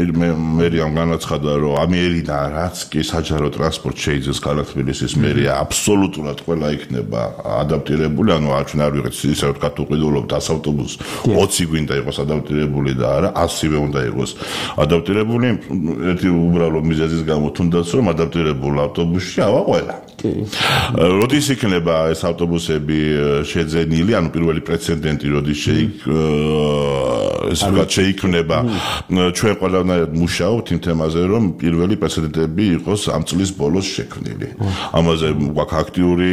მერიამ განაცხადა, რომ ამერიდან რაც კი საჯარო ტრანსპორტ შეიძენს ქალაქ თბილისის მერია, აბსოლუტურად ყველა იქნება ადაპტირებული, ანუ ჩვენ არ ვიღეთ ისე ვთქვათ, უყიდულობთ 100 ავტობუსს, 20 გვინდა იყოს ადაპტირებული და არა 100-ივე უნდა იყოს ადაპტირებული. ერთი უბრალო მიზეზის გამო თუნდაც რომ ადაპტირებულ ავტობუსში ავა ყველა. კი. როდის იქნება ეს ავტობუსები შეძენილი, ანუ პირველი პრეცედენტი როდის შეიქმნება, ჩვენ ყველანაირად მუშაობთ იმ თემაზე, რომ პირველი პრეცედენტები იყოს ამ წლის ბოლოს შექმნილი. ამაზე გვაქვს აქტიური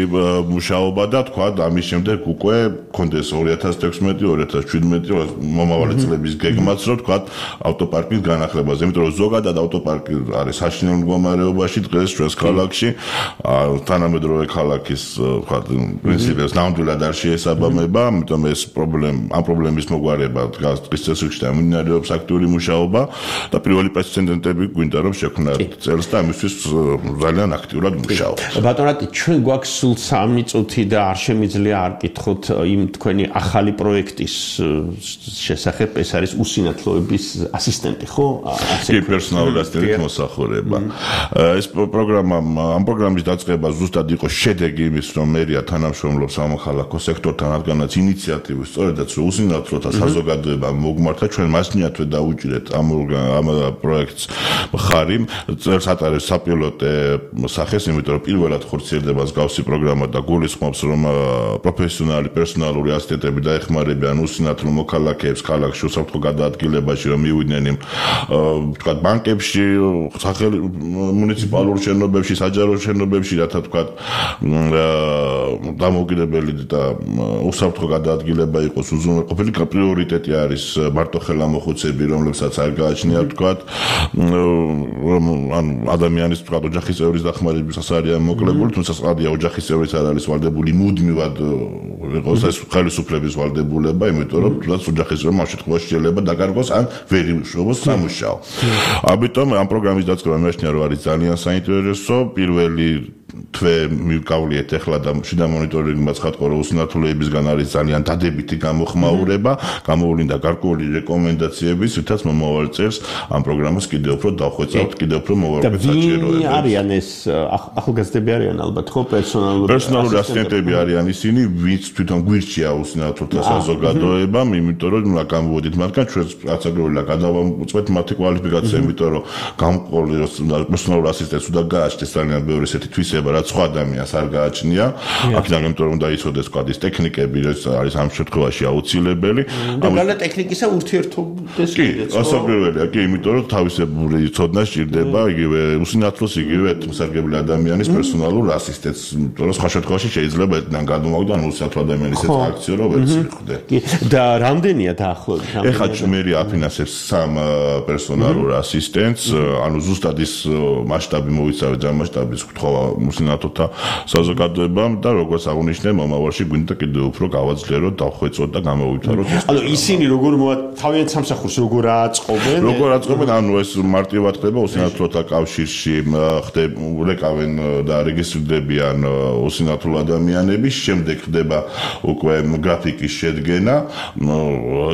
მუშაობა და თქვა ამის შემდეგ უკვე კონდეს 2016-2017 მომავალი წლების გეგმაც, რომ თქვა ავტოპარკის განახლებაზე, იმიტომ რომ ზოგადად ავტოპარკი არის საშინელ მდგომარეობაში დღეს ჩვენს ქალაქში, თანამედროვე ქალაქის პრინციპებს ნამდვილად არ შეესაბამება, ამიტომ ეს ამ პრობლემის მოგვარება დღის წესრიგში მიმდინარეობს აქტიური მუშაობა და პირველი პრეცედენტები გვინდა რომ შექმნათ წელს და ამისთვის ძალიან აქტიურად მუშაობთ. ბატონო რატი ჩვენ გვაქვს სულ 3 წუთი და არ შემიძლია არ კითხოთ იმ თქვენი ახალი პროექტის შესახებ, ეს არის უსინათლოების ასისტენტი, ხო? კი, პერსონალური ასისტენტის მოსახურება. ეს ამ პროგრამის დაწყება ზუსტად იყო შედეგი იმის, რომ მერია თანამშრომლობს სამოქალაქო სექტორთან, რადგანაც ინიციატივის სწორედაც უსინათლოთა საზოგადოებამ მოგმართა, ჩვენ მასნიათვე დაუჭირეთ ამ პროექტს მხარი, წერს ატარებს საპილოტე სახეს, იმიტომ რომ პირველად ხორციელდება მსგავსი პროგრამა და გულისხმობს, რომ პროფესიონალი პერსონალური ასისტენტები დაეხმარებიან უსინათლო მოქალაქეებს ქალაქში უსაფრთხო გადაადგილებაში, რომ მივიდნენ იმ თქვა ბანკებში, მუნიციპალურ შენობებში, საჯარო შენობებში, რათა თქვა დამოუკიდებელი და უსაფრთხო გადაადგილება იყოს უზრუნველყოფილი. პრიორიტეტი არის მარტოხელა მოხუცები, რომლებსაც არ გააჩნიათ თქვა ან ადამიანის თქვა ოჯახის წევრის დახმარებისას არიან მოკლებული, თუმცა სწორია ოჯახის წევრის არ არის ვალდებული მუდმივად იყოს ეს ხელისუფლების ვალდებულება, იმიტომ რომ თუნდაც ოჯახის წევრმა ამ შემთხვევაში შეიძლება დაკარგოს ან ვერ იმუშაოს სამუშაო. ამიტომ ამ პროგრამის დაწყება მეშნია რომ არის ძალიან საინტერესო. პირველი თვე მივკავლიეთ ახლა და შიდა მონიტორინგმაც ხატყო რომ უსინათლოებისგან არის ძალიან დადებითი გამოხმაურება, გამოვლინდა გარკვეული რეკომენდაციები, რითაც მომავალ წელს ამ პროგრამას კიდევ უფრო დავხვეწავთ, კიდევ უფრო მოვარკვეთ საჭიროებებს. არიან ეს ახალგაზრდები არიან ალბათ ხო პერსონალური ასისტენტები არიან ისინი, ვინც თვითონ გვირჩია უსინათლოთა საზოგადოებამ, იმიტომ რომ გამოვედით მათგან ჩვენს რაცაგროვილა გადავამოწმეთ მათი კვალიფიკაცია, იმიტომ რომ გამყოლი პერსონალური ასისტენტს უნდა გააჩნდეს ძალიან ბევრი ესეთი თვისება, რაც სხვა ადამიანს არ გააჩნია. აქედან იმიტომ რომ დაიცოდეს კვადის ტექნიკები, რაც არის ამ შემთხვევაში აუცილებელი. და ტექნიკისა ურთიერთობდეს კიდეც. კი, ასაკრებელია, კი, იმიტომ რომ თავისებური ცოდნა სჭირდება იგივე უსინათლოს, იგივე მოსარგებლე ადამიანის პერსონალურ ასისტენტს, იმიტომ რომ სხვა შემთხვევაში შეიძლება ერთიდან გადმოვაგდო ან უსინათლო ადამიანის ეს აქციო რომ ვერც მიხვდე. კი, და რამდენია დაახლოებით? ეხლა მერია აფინანსებს 3 პერსონალურ ასისტენტს, ანუ ზუსტად ის მასშტაბი მოიცავდა ჯერ მასშტაბის თქვა უსინათლოთა საზოგადოებამ და როგორც აღნიშნე, მომავალში გვინდა კიდევ უფრო გავაძლიეროთ, დავხვეწოთ და გამოვითავროთ ეს. ანუ ისინი როგორ თავიანთ სამსახურს როგორ აწყობენ? როგორ აწყობენ? ანუ ეს მარტივად ხდება უსინათლოთა კავშირში, ვრეკავენ და რეგისტრირდებიან უსინათლო ადამიანები, შემდეგ ხდება უკვე გრაფიკის შედგენა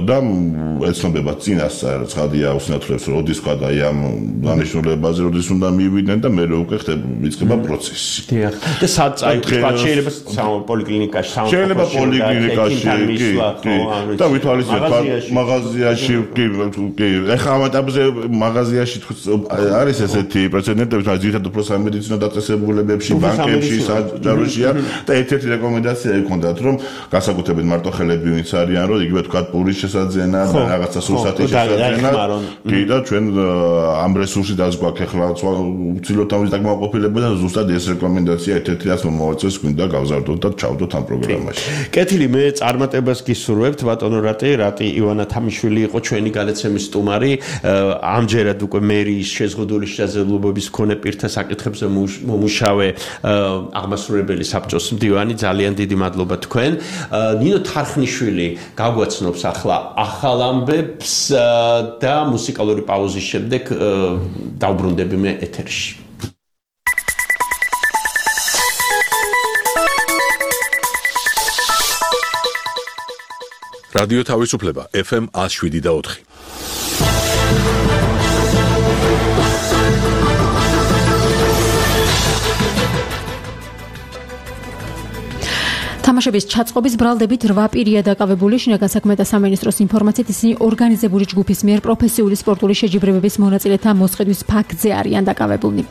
და ეცნობება წინასწარ ცხადია უსინათლოებს როდის ხდა აი ამ დანიშნულებაზე როდის უნდა მივიდნენ და მეორე უკვე ხდება პროცესი. დიახ. და შეიძლება პოლიკლინიკაში, შეიძლება პოლიკლინიკაში, კი. და ვითვალისწინებთ მაღაზიაში, კი. ეხლა ამ ეტაპზე მაღაზიაში არის ესეთი პრეცედენტები, რომ ძირითადად უფრო სამედიცინო დაწესებულებებში, ბანკებში, საჯაროშია და ერთ-ერთი რეკომენდაცია იქონდათ, რომ განსაკუთრებით მარტოხელები ვინც არიან, რომ იგივე თქვა პურის შესაძენა და რაღაცა სურსათის შესაძენა. კი და ჩვენ ამ რესურსი დაზგვაქვს ახლა უცილოდ ამის დაკმაყოფილება და ზუსტად ეს რეკომენდაცია ერთ-ერთი რაც მომავალ წელს გვინდა გავზარდოთ და ჩავდოთ ამ პროგრამაში. კეთილი, მე წარმატებას გისურვებთ, ბატონო რატი ივანა თამიშვილი იყო ჩვენი განაცემის სტუმარი. ამჯერად უკვე მერის შეზღუდული შესაძლებლობების მქონე პირთა საკითხებზე მომუშავე აღმასრულებელი საბჭოს მდივანი, ძალიან დიდი მადლობა თქვენ. ნინო თარხნიშვილი გაგვაცნობს ახლა ახალ ამბებს და მუსიკალური პაუზის შემდეგ დავბრუნდები მე ეთერში. რადიო თავისუფლება FM 107.4. თამაშების ჩაწყობის ბრალდებით 8 პირია დაკავებული. შინაგან საქმეთა სამინისტროს ინფორმაციით ისინი ორგანიზებული ჯგუფის მიერ პროფესიული სპორტული შეჯიბრებების მონაწილეთა მოსყიდვის ფაქტზე არიან დაკავებულნი.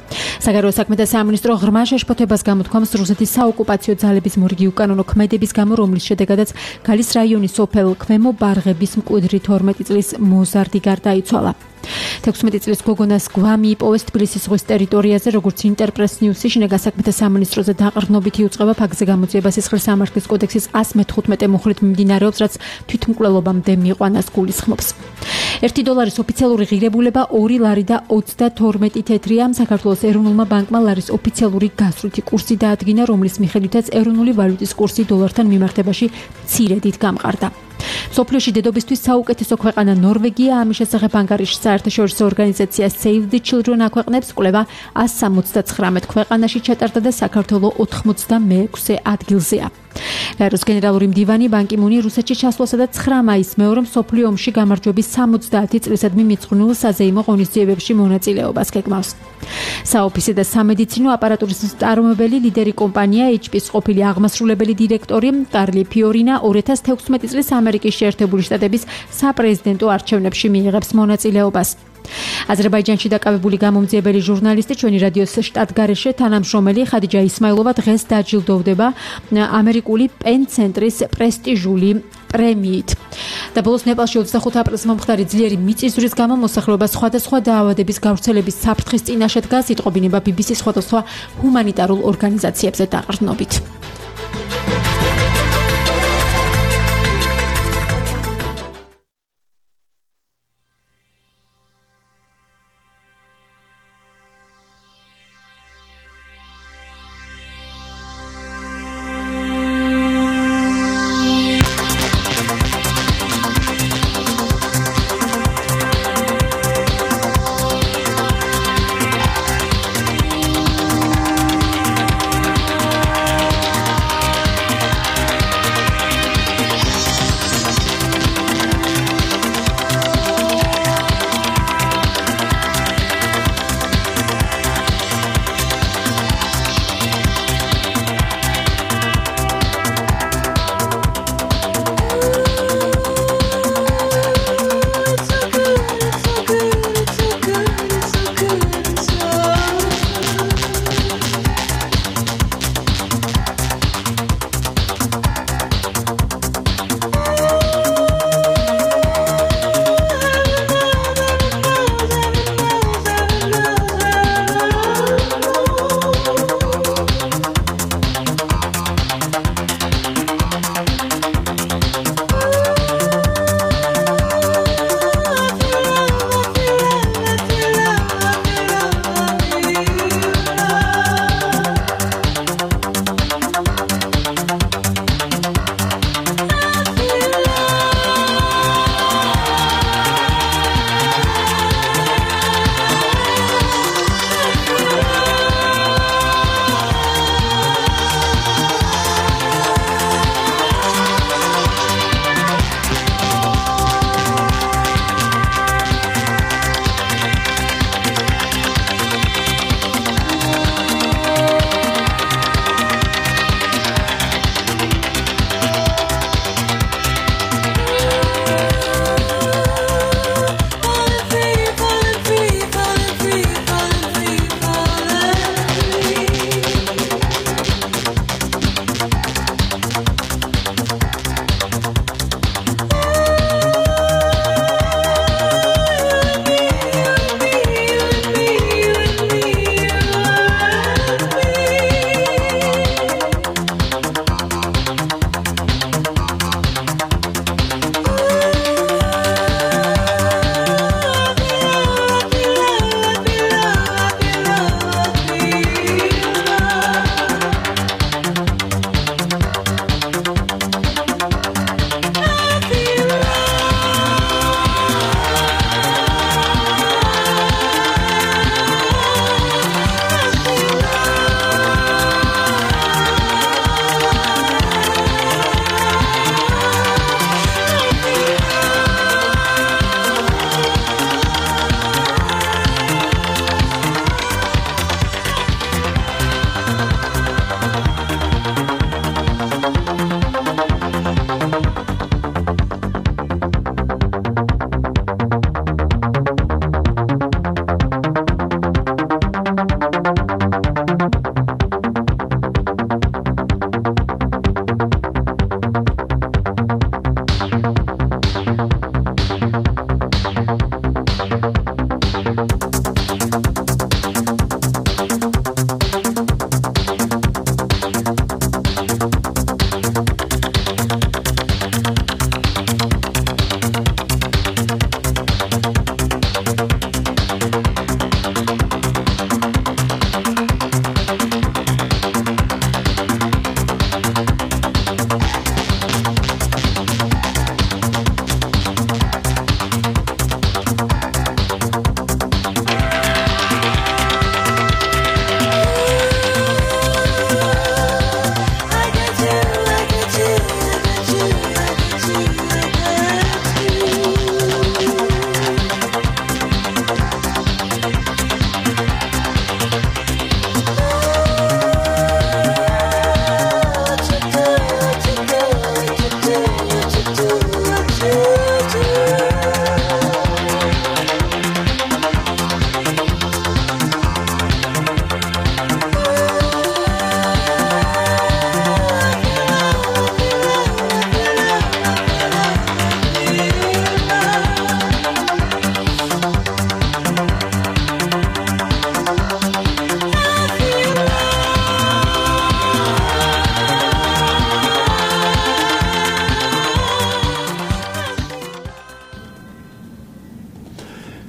საგარეო საქმეთა სამინისტრო ღრმა შეშფოთებას გამოთქვამს რუსეთის საოკუპაციო ძალების მორიგი უკანონო ქმედების გამო, რომლის შედეგადაც გალის რაიონის სოფელ ქვემო ბარღების მკვიდრი 12 წლის მოზარდი გარდაიცვალა. 16 წლის გოგონას გვამი იპოვეს თბილისის ზღვის ტერიტორიაზე, როგორც ინტერპრეს ნიუსი შინაგან საქმეთა სამინისტროზე დაყრდნობითი უწყება ფაქტზე გამოძიება სისხლის სამართლის კოდექსის 115 მუხლით მიმდინარეობს, რაც თვითმკვლელობამდე მიიყვანას გულისხმობს. $1 ოფიციალური ღირებულება 2 ლარი და 32 თეთრია. საქართველოს ეროვნულმა ბანკმა ლარის ოფიციალური გასვლითი კურსი დაადგინა, რომლის მიხედვითაც ეროვნული ვალუტის კურსი დოლართან მიმართებაში მცირედით გამყარდა. სოფლიოში დედობისთვის საუკეთესო ქვეყანა ნორვეგია. ამის შესახებ ანგარიშს საერთაშორისო ორგანიზაცია Save the Children აქვეყნებს. კვლევა 179 ქვეყანაში ჩატარდა და საქართველოს 86-ე ადგილზეა. გაეროს გენერალური მდივანი ბან კი მუნი რუსეთში ჩასვლასა და 9 მაისს მეორე მსოფლიო ომში გამარჯვების 70 წლისადმი მიძღვნილ საზეიმო ღონისძიებებში მონაწილეობას გეგმავს. საოფისე და სამედიცინო აპარატურის მწარმოებელი ლიდერი კომპანია HP-ის ყოფილი აღმასრულებელი დირექტორი კარლი ფიორინა 2016 წლის ამერიკის შეერთებული შტატების საპრეზიდენტო არჩევნებში მიიღებს მონაწილეობას. აზერბაიჯანში დაკავებული გამომძიებელი ჟურნალისტი ჩვენი რადიოს შტატგარეშე თანამშრომელი ხადიჯა ისმაილოვა დღეს დაჯილდოვდება ამერიკული პენ ცენტრის პრესტიჟული პრემიით. და ბოლოს ნეპალში 25 აპრილს მომხდარი ძლიერი მიწისძვრის გამო მოსახლეობა სხვადასხვა დაავადების გავრცელების საფრთხის წინაშე დგას, იტყობინება BBC-ს სხვადასხვა ჰუმანიტარულ ორგანიზაციებზე დაყრდნობით.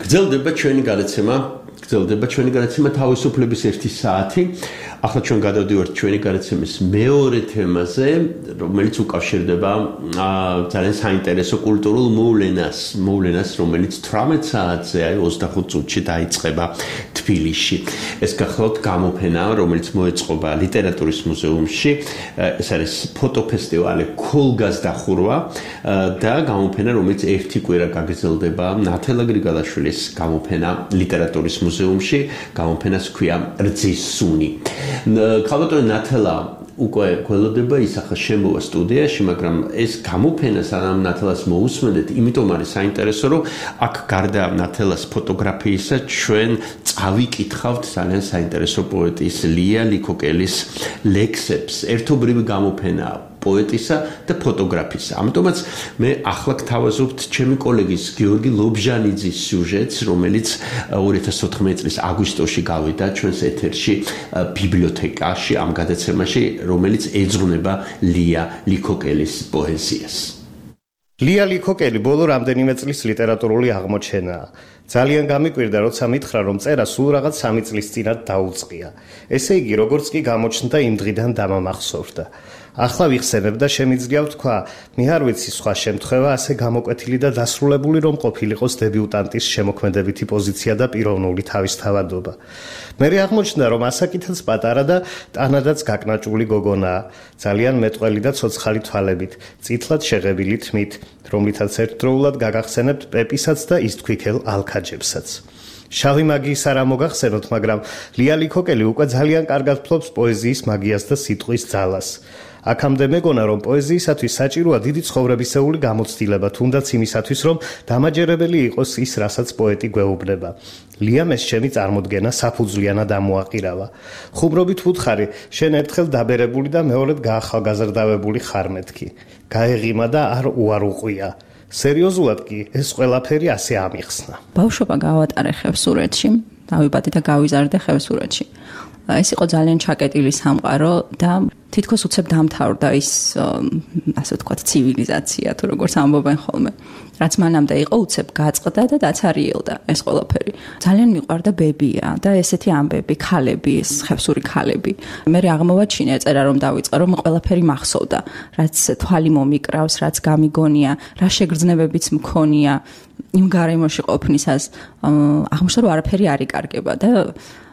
გრძელდება ჩვენი გადაცემა თავისუფლების 1 საათი. ახლა ჩვენ გადავდივართ ჩვენი გადაცემის მეორე თემაზე, რომელიც უკავშირდება ძალიან საინტერესო კულტურულ მოვლენას, რომელიც 18 საათზე, 25 წუთში დაიწყება თბილისში. ეს გახლავთ გამოფენა, რომელიც მოეწყობა ლიტერატურის მუზეუმში. ეს არის ფოტოფესტივალი ქოლგას დახურვა და გამოფენა, რომელიც ერთი კვირა გაგრძელდება. ნათელა გრიგალაშვილის გამოფენა ლიტერატურის მუზეუმში, გამოფენას ქვია რძის სუნი. ქალბატონი ნათელა უკვე გველოდება ისახა შემოვა სტუდიაში, მაგრამ ეს გამოფენა სანამ ნათელას მოусმენთ, იმიტომ არის საინტერესო, რომ აქ გარდა ნათელას ფოტოგრაფიისა ჩვენ წავიკითხავთ ძალიან საინტერესო პოეტის ლია ლიქოკელის ლექსებს. ერთობრივი გამოფენაა პოეტისა და ფოტოგრაფისა. ამიტომაც მე ახლა გთავაზობთ ჩემი კოლეგის გიორგი ლობჟანიძის სიუჟეტს, რომელიც 2014 წლის აგვისტოში გავიდა ჩვენს ეთერში ბიბლიოთეკაში ამ გადაცემაში, რომელიც ეძღვნება ლია ლიქოკელის პოეზიას. ლია ლიქოკელი ბოლო რამდენიმე წლის ლიტერატურული აღმოჩენაა. ძალიან გამიკვირდა, როცა მითხრა, რომ წერა სულ რაღაც 3 წლის წინათ დაუწყია. ესე იგი, როგორც კი გამოჩნდა, იმ დღიდან დამამახსოვრდა. ახლა ვიხსენებ და შემიძლია ვთქვა, მე არ ვიცი სხვა შემთხვევა ასე გამოკვეთილი და დასრულებული რომ ყოფილიყოს დებიუტანტის შემოქმედებითი პოზიცია და პიროვნული თავისთავადობა. მე აღმოჩნდა, რომ ასაკითაც პატარა და ტანადაც გაკნაჭული გოგონაა, ძალიან მეტყველი და ცოცხალი თვალებით, წითლად შეღებილი თმით, რომლითაც ერთდროულად გაგახსენებთ პეპისაც და ისთქვიქელ ალქაჯებსაც. შავი მაგიის არ მოგახსენოთ, მაგრამ ლია ლიქოკელი უკვე ძალიან კარგად ფლობს პოეზიის მაგიას და სიტყვის ძალას. აქამდე მეგონა, რომ პოეზიისათვის საჭიროა დიდი ცხოვრებისეული გამოცდილება, თუნდაც იმისათვის, რომ დამაჯერებელი იყოს ის, რასაც პოეტი გვეუბნება. ლიამ ეს ჩემი წარმოდგენა საფუძვლიანად ამოაყირავა. ხუმრობით ვუთხარი, შენ ერთხელ დაბერებული და მეორედ გაახალგაზრდავებული ხარ მეთქი. გაეღიმა და არ უარუყვია. სერიოზულად კი ეს ყველაფერი ასე ამიხსნა. ბავშვობა გავატარე ხევსურეთში, დავიბადე და გავიზარდე ხევსურეთში. ეს იყო ძალიან ჩაკეტილი სამყარო და თითქოს უცებ დამთავრდა ის, ასე ვთქვათ, ცივილიზაცია, თუ როგორც ამბობენ ხოლმე. რაც მანამდე იყო, უცებ გაწყდა და დაცარიელდა ეს ყველაფერი. ძალიან მიყვარდა ბებია და ესეთი ამბები, ქალები, ეს ხევსური ქალები. მე აღმოვაჩინე წერა რომ დავიწყე, რომ ყველაფერი მახსოვდა, რაც თვალი მომიკრავს, რაც გამიგონია, რა შეგრძნებებიც მქონია. იმ გარემოში ყოფნისას აღმოჩნდა რომ არაფერი არ იკარგება და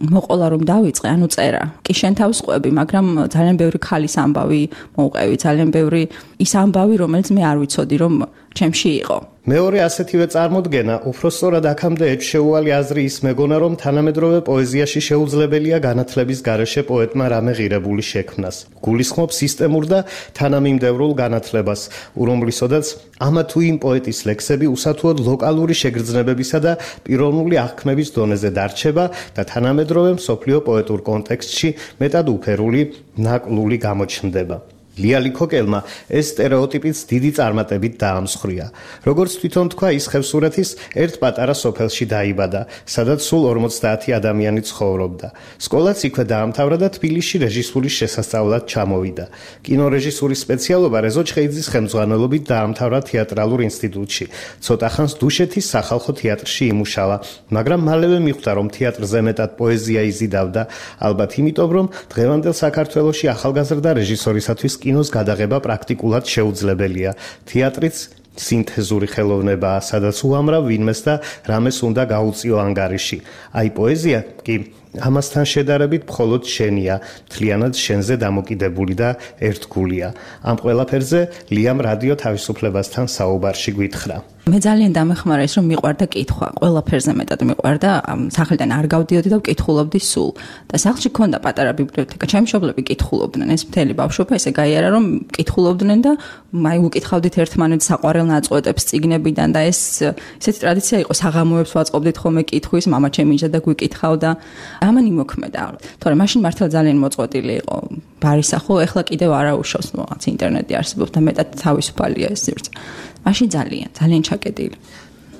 მოყოლა რომ დავიწყე, ანუ წერა. კი შენ თავს ყვები, მაგრამ ძალიან ბევრი ქალის ამბავი მოვყევი, ძალიან ბევრი ის ამბავი, რომელიც მე არ ვიცოდი რომ ჩემში იყო. მეორე ასეთივე წარმოდგენა, უფრო სწორად აქამდე ეჩშეუალი აზრი ის მეგონა, რომ თანამედროვე პოეზიაში შეუძლებელია განათლების გარეშე პოეტმა რამე ღირებული შექმნას. გულისხმობს სისტემურ და თანამიმდევრულ განათლებას, რომლისოდაც ამა თუ იმ პოეტის ლექსები უსათუოდ ლოკალური შეგრძნებებისა და პიროვნული აღქმების დონეზე დარჩება და თანამედროვე მსოფლიო პოეტურ კონტექსტში მეტად უფერული, ნაკლული გამოჩნდება. ლია ლიქოკელმა ეს სტერეოტიპიც დიდი წარმატებით დაამსხვრია. როგორც თვითონ თქვა, ის ხევსურეთის ერთ პატარა სოფელში დაიბადა, სადაც სულ 50 ადამიანი ცხოვრობდა. სკოლაც იქვე დაამთავრა და თბილისში რეჟისურის შესასწავლად ჩამოვიდა. კინორეჟისურის სპეციალობა რეზო ჩხეიძის ხელმძღვანელობით დაამთავრა თეატრალურ ინსტიტუტში. ცოტა ხანს დუშეთის სახალხო თეატრში იმუშავა, მაგრამ მალევე მიხვდა, რომ თეატრზე მეტად პოეზია იზიდავდა, ალბათ იმიტომ, რომ დღევანდელ საქართველოში ახალგაზრდა რეჟისორისათვის კინოს გადაღება პრაქტიკულად შეუძლებელია. თეატრიც სინთეზური ხელოვნებაა, სადაც უამრავ ვინმეს და რამეს უნდა გაუწიო ანგარიში. აი პოეზია კი ამასთან შედარებით მხოლოდ შენია, მთლიანად შენზე დამოკიდებული და ერთგულია. ამ ყველაფერზე ლიამ რადიო თავისუფლებასთან საუბარში გვითხრა. მე ძალიან დამეხმარა ის, რომ მიყვარდა კითხვა, ყველაფერზე მეტად მიყვარდა, სახლიდან არ გავდიოდი და ვკითხულობდი სულ. და სახლში ქონდა პატარა ბიბლიოთეკა, ჩემი მშობლები კითხულობდნენ, ეს მთელი ბავშვობა ესე გაიარა, რომ კითხულობდნენ და აი უკითხავდით ერთმანეთს საყვარელ ნაწყვეტებს წიგნებიდან და ეს ესეთი ტრადიცია იყო, საღამოებს ვაწყობდით ხოლმე კითხვის, მამა ჩემი იჯდა და გვიკითხავდა. ამან იმოქმედა. თორემ მაშინ მართლა ძალიან მოწყვეტილი იყო ბარისახო, ეხლა კიდევ არაუშავს, რაღაც ინტერნეტი არსებობს და მეტად თავისუფალია ეს სივრცე. მაშინ ძალიან ჩაკეტილი.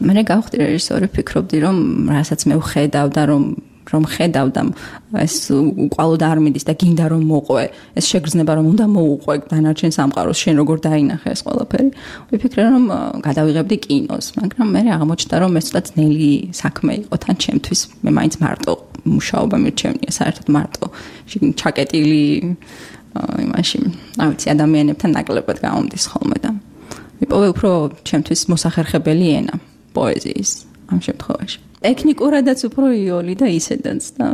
მე გავხდი რეჟისორი, ფიქრობდი რომ რასაც მე ვხედავ და რომ რომ ხედავდა ეს უყალოდ არ მიდის და გინდა რომ მოყვე, ეს შეგრძნება რომ უნდა მოუყვე დანარჩენ სამყაროს, შენ როგორ დაინახე ეს ყველაფერი. ვიფიქრე რომ გადავიღებდი კინოს, მაგრამ მე აღმოჩნდა რომ ეს ცოტა ძნელი საქმე იყო თან ჩემთვის. მე მაინც მარტო მუშაობა მირჩევნია, საერთოდ მარტო ჩაკეტილი იმაში, არ ვიცი, ადამიანებთან ნაკლებად გამომდის ხოლმე და მიპოვე უფრო ჩემთვის მოსახერხებელი ენა პოეზიის ამ შემთხვევაში. ტექნიკურადაც უფრო იოლი და ისედაც და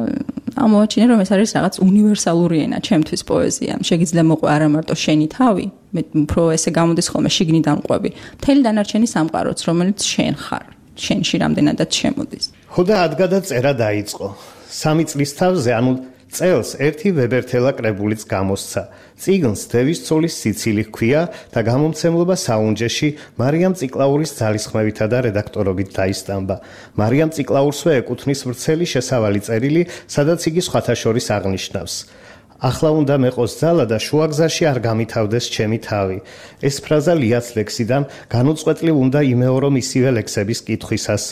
ამოვაჩინე რომ ეს არის რაღაც უნივერსალური ენა ჩემთვის პოეზია. შეგიძლია მოყვე არა მარტო შენი თავი, მე უფრო ესე გამოდის ხოლმე შიგნიდან ყვები. მთელი დანარჩენი სამყაროც, რომელიც შენ ხარ, შენში რამდენადაც შემოდის. ხო და ადგადა წერა დაიწყო. 3 წლის თავზე, ანუ წელს ერთი ვებერთელა კრებულიც გამოსცა. წიგნს დევის ცოლის სიცილი ჰქვია და გამომცემლობა საუნჯეში მარიამ წიკლაურის ძალისხმევითა და რედაქტორობით დაისტამბა. მარიამ წიკლაურსვე ეკუთვნის ვრცელი შესავალი წერილი, სადაც იგი სხვათა შორის აღნიშნავს: ახლა უნდა მეყოს ძალა და შუაგზაში არ გამითავდეს ჩემი თავი. ეს ფრაზა ლიას ლექსიდან განუწყვეტლივ უნდა იმეორო ისივე ლექსების კითხვისას.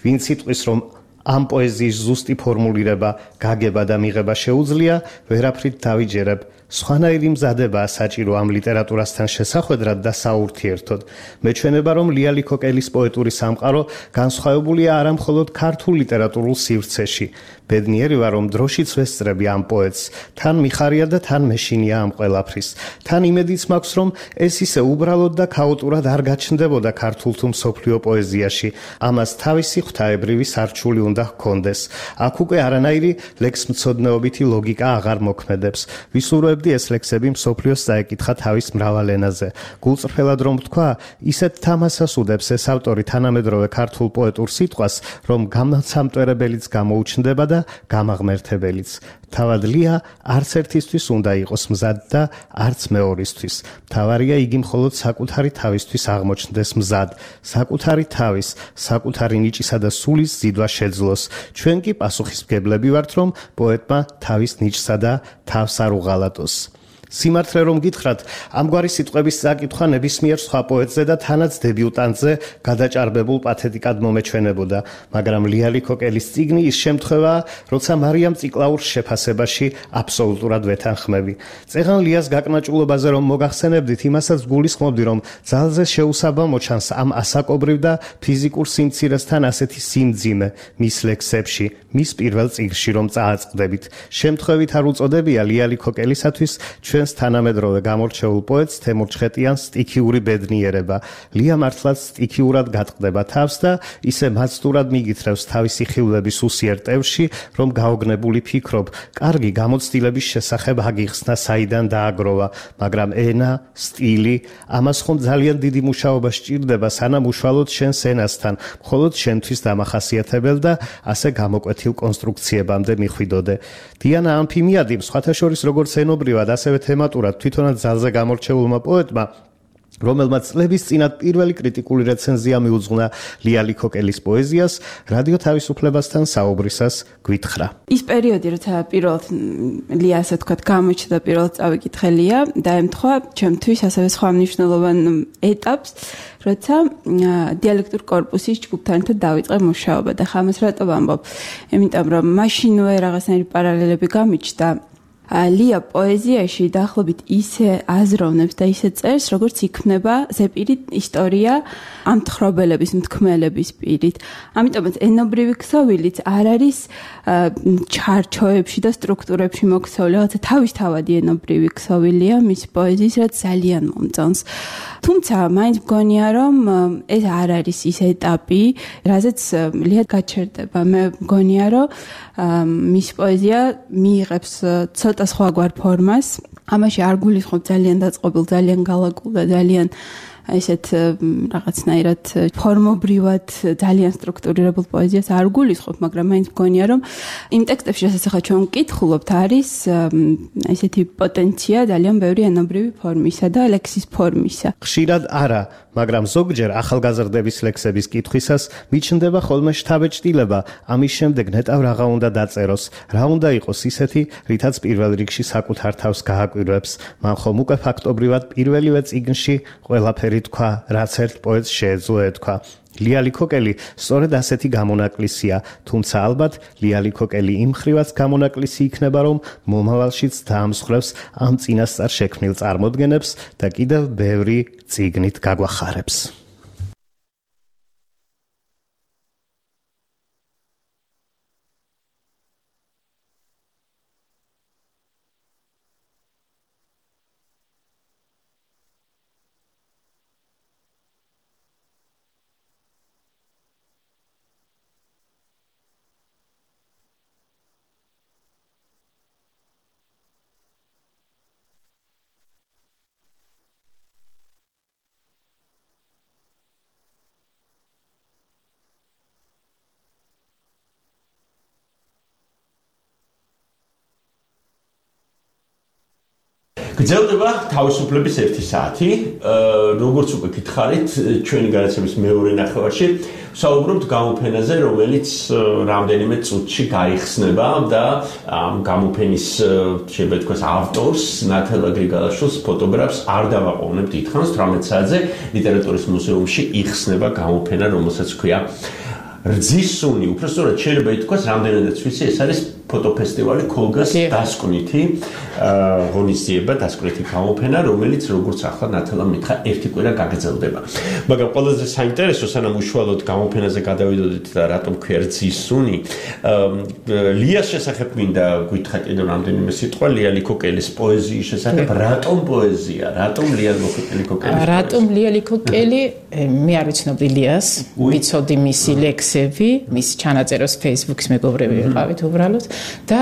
ვინც იტყვის რომ ამ პოეზიის ზუსტი ფორმულირება, გაგება და მიღება შეუძლია, ვერაფრით დავიჯერებ. სხვანაირი მზადებაა საჭირო ამ ლიტერატურასთან შესახვედრად და საურთიერთოდ. მეჩვენება, რომ ლია ლიქოკელის პოეტური სამყარო განსხვავებულია არა მხოლოდ ქართულ ლიტერატურულ სივრცეში. ბედნიერი ვარ, რომ დროშიც ვესწრები ამ პოეტს. თან მიხარია და თან მეშინია ამ ყველაფრის. თან იმედიც მაქვს, რომ ეს ისე უბრალოდ და ქაოტურად არ გაჩნდებოდა ქართულ თუ მსოფლიო პოეზიაში. ამას თავისი ღვთაებრივი სარჩული უნდა ჰქონდეს. აქ უკვე არანაირი ლექსმცოდნეობითი ლოგიკა აღარ მოქმედებს. ვისურვებდი ეს ლექსები მსოფლიოს წაეკითხა თავის მრავალ ენაზე. გულწრფელად რომ ვთქვა, ისეთ თამასას უდებს ეს ავტორი თანამედროვე ქართულ პოეტურ სიტყვას, რომ გამოცამტვერებელიც გამოუჩნდება და გამაღმერთებელიც. თავად ლია არც ერთისთვის უნდა იყოს მზად და არც მეორისთვის. თავარია იგი მხოლოდ საკუთარი თავისთვის აღმოჩნდეს მზად, საკუთარი თავის, საკუთარი ნიჭისა და სულის ზიდვა შეძლოს. ჩვენ კი პასუხისმგებლები ვართ, რომ პოეტმა თავის ნიჭსა და თავს არ უღალატოს. სიმართლე რომ გითხრათ, ამგვარი სიტყვების წაკითხვა ნებისმიერ სხვა პოეტზე და თანაც დებიუტანტზე გადაჭარბებულ პათეტიკად მომეჩვენებოდა, მაგრამ ლია ლიქოკელის წიგნი ის შემთხვევაა, როცა მარიამ წიკლაურს შეფასებაში აბსოლუტურად ვეთანხმები. წეღან ლიას გაკნაჭულობაზე რომ მოგახსენებდით, იმასაც გულისხმობდი, რომ ძალზე შეუსაბამო ჩანს ამ ასაკობრივ და ფიზიკურ სიმცირესთან ასეთი სიმძიმე მის ლექსებში, მის პირველ წიგნში რომ წააწყდებით. შემთხვევით არ უწოდებია ლია ლიქოკელისათვის ჩვენს თანამედროვე გამორჩეულ პოეტს თემურ ჩხეტიანს სტიქიური ბედნიერება. ლია მართლაც სტიქიურად გატყდება თავს და ისე მაცდურად მიგითრევს თავისი ხილვების უსიერ ტევში, რომ გაოგნებული ფიქრობ, კარგი გამოცდილების შესახებ აგიხსნა საიდან დააგროვა, მაგრამ ენა, სტილი, ამას ხომ ძალიან დიდი მუშაობა სჭირდება, სანამ უშუალოდ შენს ენასთან, მხოლოდ შენთვის დამახასიათებელ და ასე გამოკვეთილ კონსტრუქციებამდე მიხვიდოდე. დიანა ამფიმიადი, სხვათა შორის როგორც ენობრივად, ასევე თემატურად თვითონაც ძალზე გამორჩეულმა პოეტმა, რომელმაც წლების წინათ პირველი კრიტიკული რეცენზია მიუძღვნა ლია ლიქოკელის პოეზიას, რადიო თავისუფლებასთან საუბრისას გვითხრა. ის პერიოდი, როცა პირველად ლია ასე თქვა გამოჩნდა, პირველად წავიკითხე ლია და ემთხვა ჩემთვის ასევე სხვა მნიშვნელოვან ეტაპს, როცა დიალექტურ კორპუსის ჯგუფთან ერთად დავიწყე მუშაობა და ხამას რატო ვამბობ? იმიტომ რომ მაშინვე რაღაცნაირი პარალელები გამიჩნდა. ლია პოეზიაში დაახლოებით ისე აზროვნებს და ისე წერს, როგორც იქმნება ზეპირი ისტორია ამ თხრობელების, მთქმელების პირით. ამიტომაც ენობრივი ქსოვილიც არ არის ჩარჩოებში და სტრუქტურებში მოქცეული, რაღაცა თავისთავადი ენობრივი ქსოვილია მის პოეზიის, რაც ძალიან მომწონს. თუმცა მაინც მგონია, რომ ეს არ არის ის ეტაპი, რაზეც ლია გაჩერდება. მე მგონია, რომ მის პოეზია მიიღებს ცოტა სხვაგვარ ფორმას. ამაში არ გულისხმობ ძალიან დაწყობილ, ძალიან გალაკულ და ძალიან ესეთ რაღაცნაირად ფორმობრივად ძალიან სტრუქტურირებულ პოეზიას არ გულისხმობ, მაგრამ მაინც მგონია, რომ იმ ტექსტებში, რასაც ახლა ჩვენ ვკითხულობთ, არის ესეთი პოტენცია ძალიან ბევრი ენობრივი ფორმისა და ლექსის ფორმისა. ხშირად არა, მაგრამ ზოგჯერ ახალგაზრდების ლექსების კითხვისას მიჩნდება ხოლმე შთაბეჭდილება, ამის შემდეგ ნეტავ რაღა უნდა დაწეროს, რა უნდა იყოს ისეთი, რითაც პირველ რიგში საკუთარ თავს გააკვირვებს. მან ხომ უკვე ფაქტობრივად პირველივე წიგნში ყველაფერი ყველაფერი თქვა, რაც ერთ პოეტს შეეძლო ეთქვა. ლიალი ქოკელი სწორედ ასეთი გამონაკლისია, თუმცა ალბათ ლიალი ქოკელი იმ ხრივაც გამონაკლისი იქნება, რომ მომავალშიც დაამსხვრევს ამ წინასწარ შექმნილ წარმოდგენებს და კიდევ ბევრი წიგნით გაგვახარებს. გრძელდება თავისუფლების 1 საათი. როგორც უკვე გითხარით, ჩვენი განაცემის მეორე ნახევარში საუბრობთ გამოფენაზე, რომელიც რამდენიმე წუთში გაიხსნება და ამ გამოფენის შეიძლება ითქვას ავტორს, ნათალა გრიგალაშვილს, ფოტოგრაფს არ დავაყოვნებთ დიდხანს 18 საათზე ლიტერატურის მუზეუმში იხსნება გამოფენა, რომელსაც ქვია რძისუნი. უпростоრად შეიძლება ითქვას, რამდენადაც ვიცი, ეს არის ფოტოფესტივალი ქოლგას დასკვნითი ღონისძიება, დასკვნითი გამოფენა, რომელიც როგორც ახლა ნათალა მითხრა, ერთი კვირა გაგრძელდება. მაგრამ ყველაზე საინტერესო, სანამ უშუალოდ გამოფენაზე გადავიდოდით და რატომ ქვია რძისუნი, ლიას შესახებ მინდა გითხრათ კიდევ რამდენიმე სიტყვა, ლიალი ქოკელის პოეზიის შესახებ, რატომ პოეზია, რატომ ლიალი ქოკელის? რატომ ლიალი ქოკელი? მე არ ვიცნობდი ლიას, ვიცოდი მისი ლექსები, მის ჩანაწერებს Facebook-ის მეგობრები ვიყავით უბრალოდ. და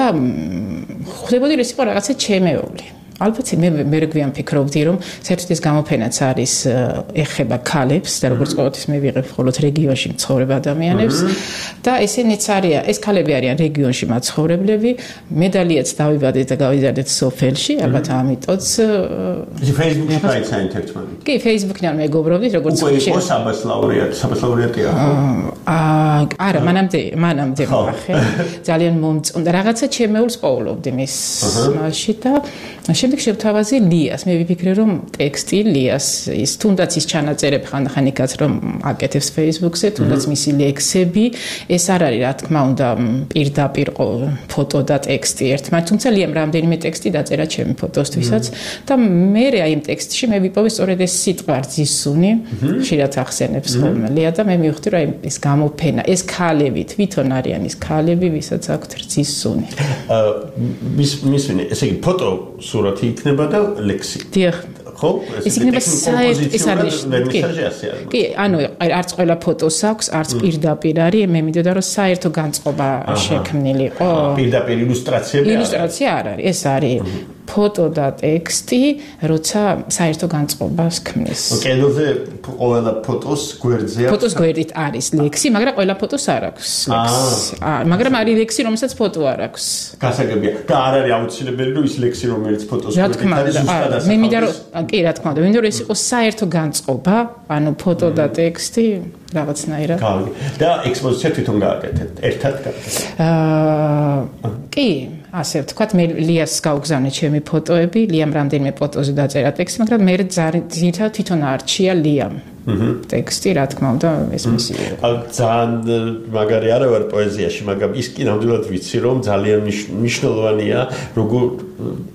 ხვდებოდი რომ ის იყო რაღაცა ჩემეული. ალბათ მე რეგვიან ფიქრობდი რომ საერთოდ ეს გამოფენაც არის ეხება ქალებს და როგორც ყოველთვის მე ვიღებ მხოლოდ რეგიონში მცხოვრებ ადამიანებს და ესენიც არიან ეს ქალები არიან რეგიონში მაცხოვრებლები მე დალიაც დავიბადეთ და გავიზარდეთ სოფელში ალბათ ამიტომაც Facebook-ში გაიცანით ერთმანეთს კი Facebook-იდან მეგობრობდით როგორც ხშირად იყო საბასლაურიატია არა მანამდე ვახე ძალიან მომწონდა რაღაცა ჩემეულს პოულობდი მის მასში და შემდეგ შევთავაზე ლიას. მე ვიფიქრე რომ ტექსტი ლიას ის თუნდაც ის ჩანაწერები ხანდახან იქაც რომ აკეთებს Facebook-ზე, თუნდაც მისი ლექსები, ეს არ არის რა თქმა უნდა პირდაპირ ფოტო და ტექსტი ერთმანეთს, თუმცა ლიამ რამდენიმე ტექსტი დაწერა ჩემი ფოტოსთვისაც და მე აი იმ ტექსტში მე ვიპოვე სწორედ ეს სიტყვა რძისუნი, ხშირად ახსენებს ხოლმე ლია და მე მივხვდი რომ ეს გამოფენა, ეს ქალები თვითონ არიან ის ქალები, ვისაც აქვთ რძისუნი. ესე იგი ფოტო სურათი იქნება და ლექსი. დიახ. ხო? ეს იქნება საერთოდ ეს არის კი, ანუ არც ყველა ფოტოს აქვს, არც პირდაპირ არის, მე მინდოდა რომ საერთო განწყობა შექმნილი იყო. პირდაპირ ილუსტრაციები? ილუსტრაცია არ არის, ეს არის ფოტო და ტექსტი, როცა საერთო განწყობას ქმნის. კედელზე ყველა ფოტოს გვერდზე ფოტოს გვერდით არის ლექსი, მაგრამ ყველა ფოტოს არ აქვს ლექსი. მაგრამ არის ლექსი, რომელსაც ფოტო არ აქვს. გასაგებია. და არ არის აუცილებელი რომ ის ლექსი, რომელიც ფოტოს გვერდით არის, ზუსტად ასახავს. მე მინდა რომ კი, რა თქმა უნდა, მინდა რომ ეს იყოს საერთო განწყობა, ანუ ფოტო და ტექსტი რაღაცნაირად. კარგი. და ექსპოზიცია თვითონ გააკეთეთ, ერთად გააკეთეთ. კი ასე ვთქვათ, მე ლიას გავგზავნე ჩემი ფოტოები, liam რამდენიმე ფოტოზე დაწერა ტექსტი, მაგრამ მე ძირითადად თვითონ არჩია liam. ტექსტი, რა თქმა უნდა, ეს მისი. ძალიან მაგარი არა ვარ პოეზიაში, მაგრამ ის კი ნამდვილად ვიცი, რომ ძალიან მნიშვნელოვანია, როგორ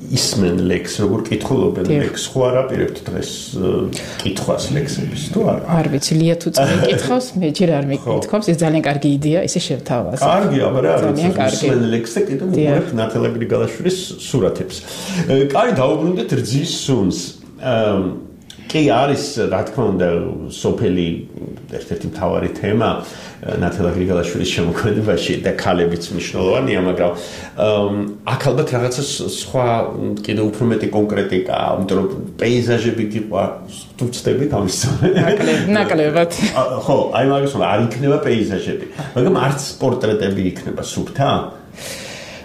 ისმენ ლექს, როგორ კითხულობენ ლექს. ხო არ აპირებთ დღეს კითხვას ლექსების, თუ არა? არ ვიცი, ლია თუ წამიკითხავს, მე ჯერ არ მიკითხავს, ეს ძალიან კარგი იდეა, ისე შევთავაზე. კარგია, მაგრამ ისმენ ლექს და კიდევ უყურებთ ნათალა გრიგალაშვილის სურათებს. კაი, დაუბრუნდეთ რძის სუნს. კი არის, რა თქმა უნდა, სოფელი ერთ-ერთი მთავარი თემა ნათალა გრიგალაშვილის შემოქმედებაში და ქალებიც მნიშვნელოვანია, მაგრამ აქ ალბათ რაღაცა სხვა კიდევ უფრო მეტი კონკრეტიკაა, იმიტომ რომ პეიზაჟები გიყვარს, თუ ვწდებით ამის ნაკლებად. ხო, აი მაგას ვთქვა, არ იქნება პეიზაჟები, მაგრამ არც პორტრეტები იქნება სუფთა.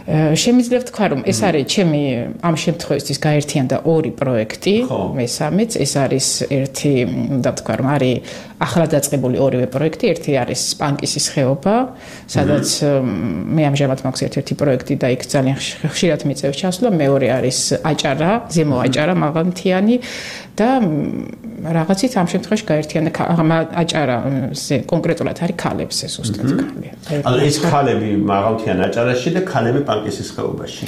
შემიძლია ვთქვა რომ ეს არის ჩემი ამ შემთხვევისთვის გაერთიანდა ორი პროექტი მესამეც ეს არის ერთი უნდა ვთქვა რომ არის ახლა დაწყებული ორივე პროექტი ერთი არის სპანკისის ხეობა სადაც მე ამჟამად მაქვს ერთ-ერთი პროექტი და იქ ძალიან ხშირად მიწევს ჩასვლა მეორე არის აჭარა ზემო აჭარა მაღალმთიანი და რაღაცით ამ შემთხვევაში გაერთიანდა აჭარა კონკრეტულად არის ქალებზე ზუსტად ქალი. ანუ ეს ქალები მაღალთიან აჭარაში და ქალები პანკისის ხეობაში.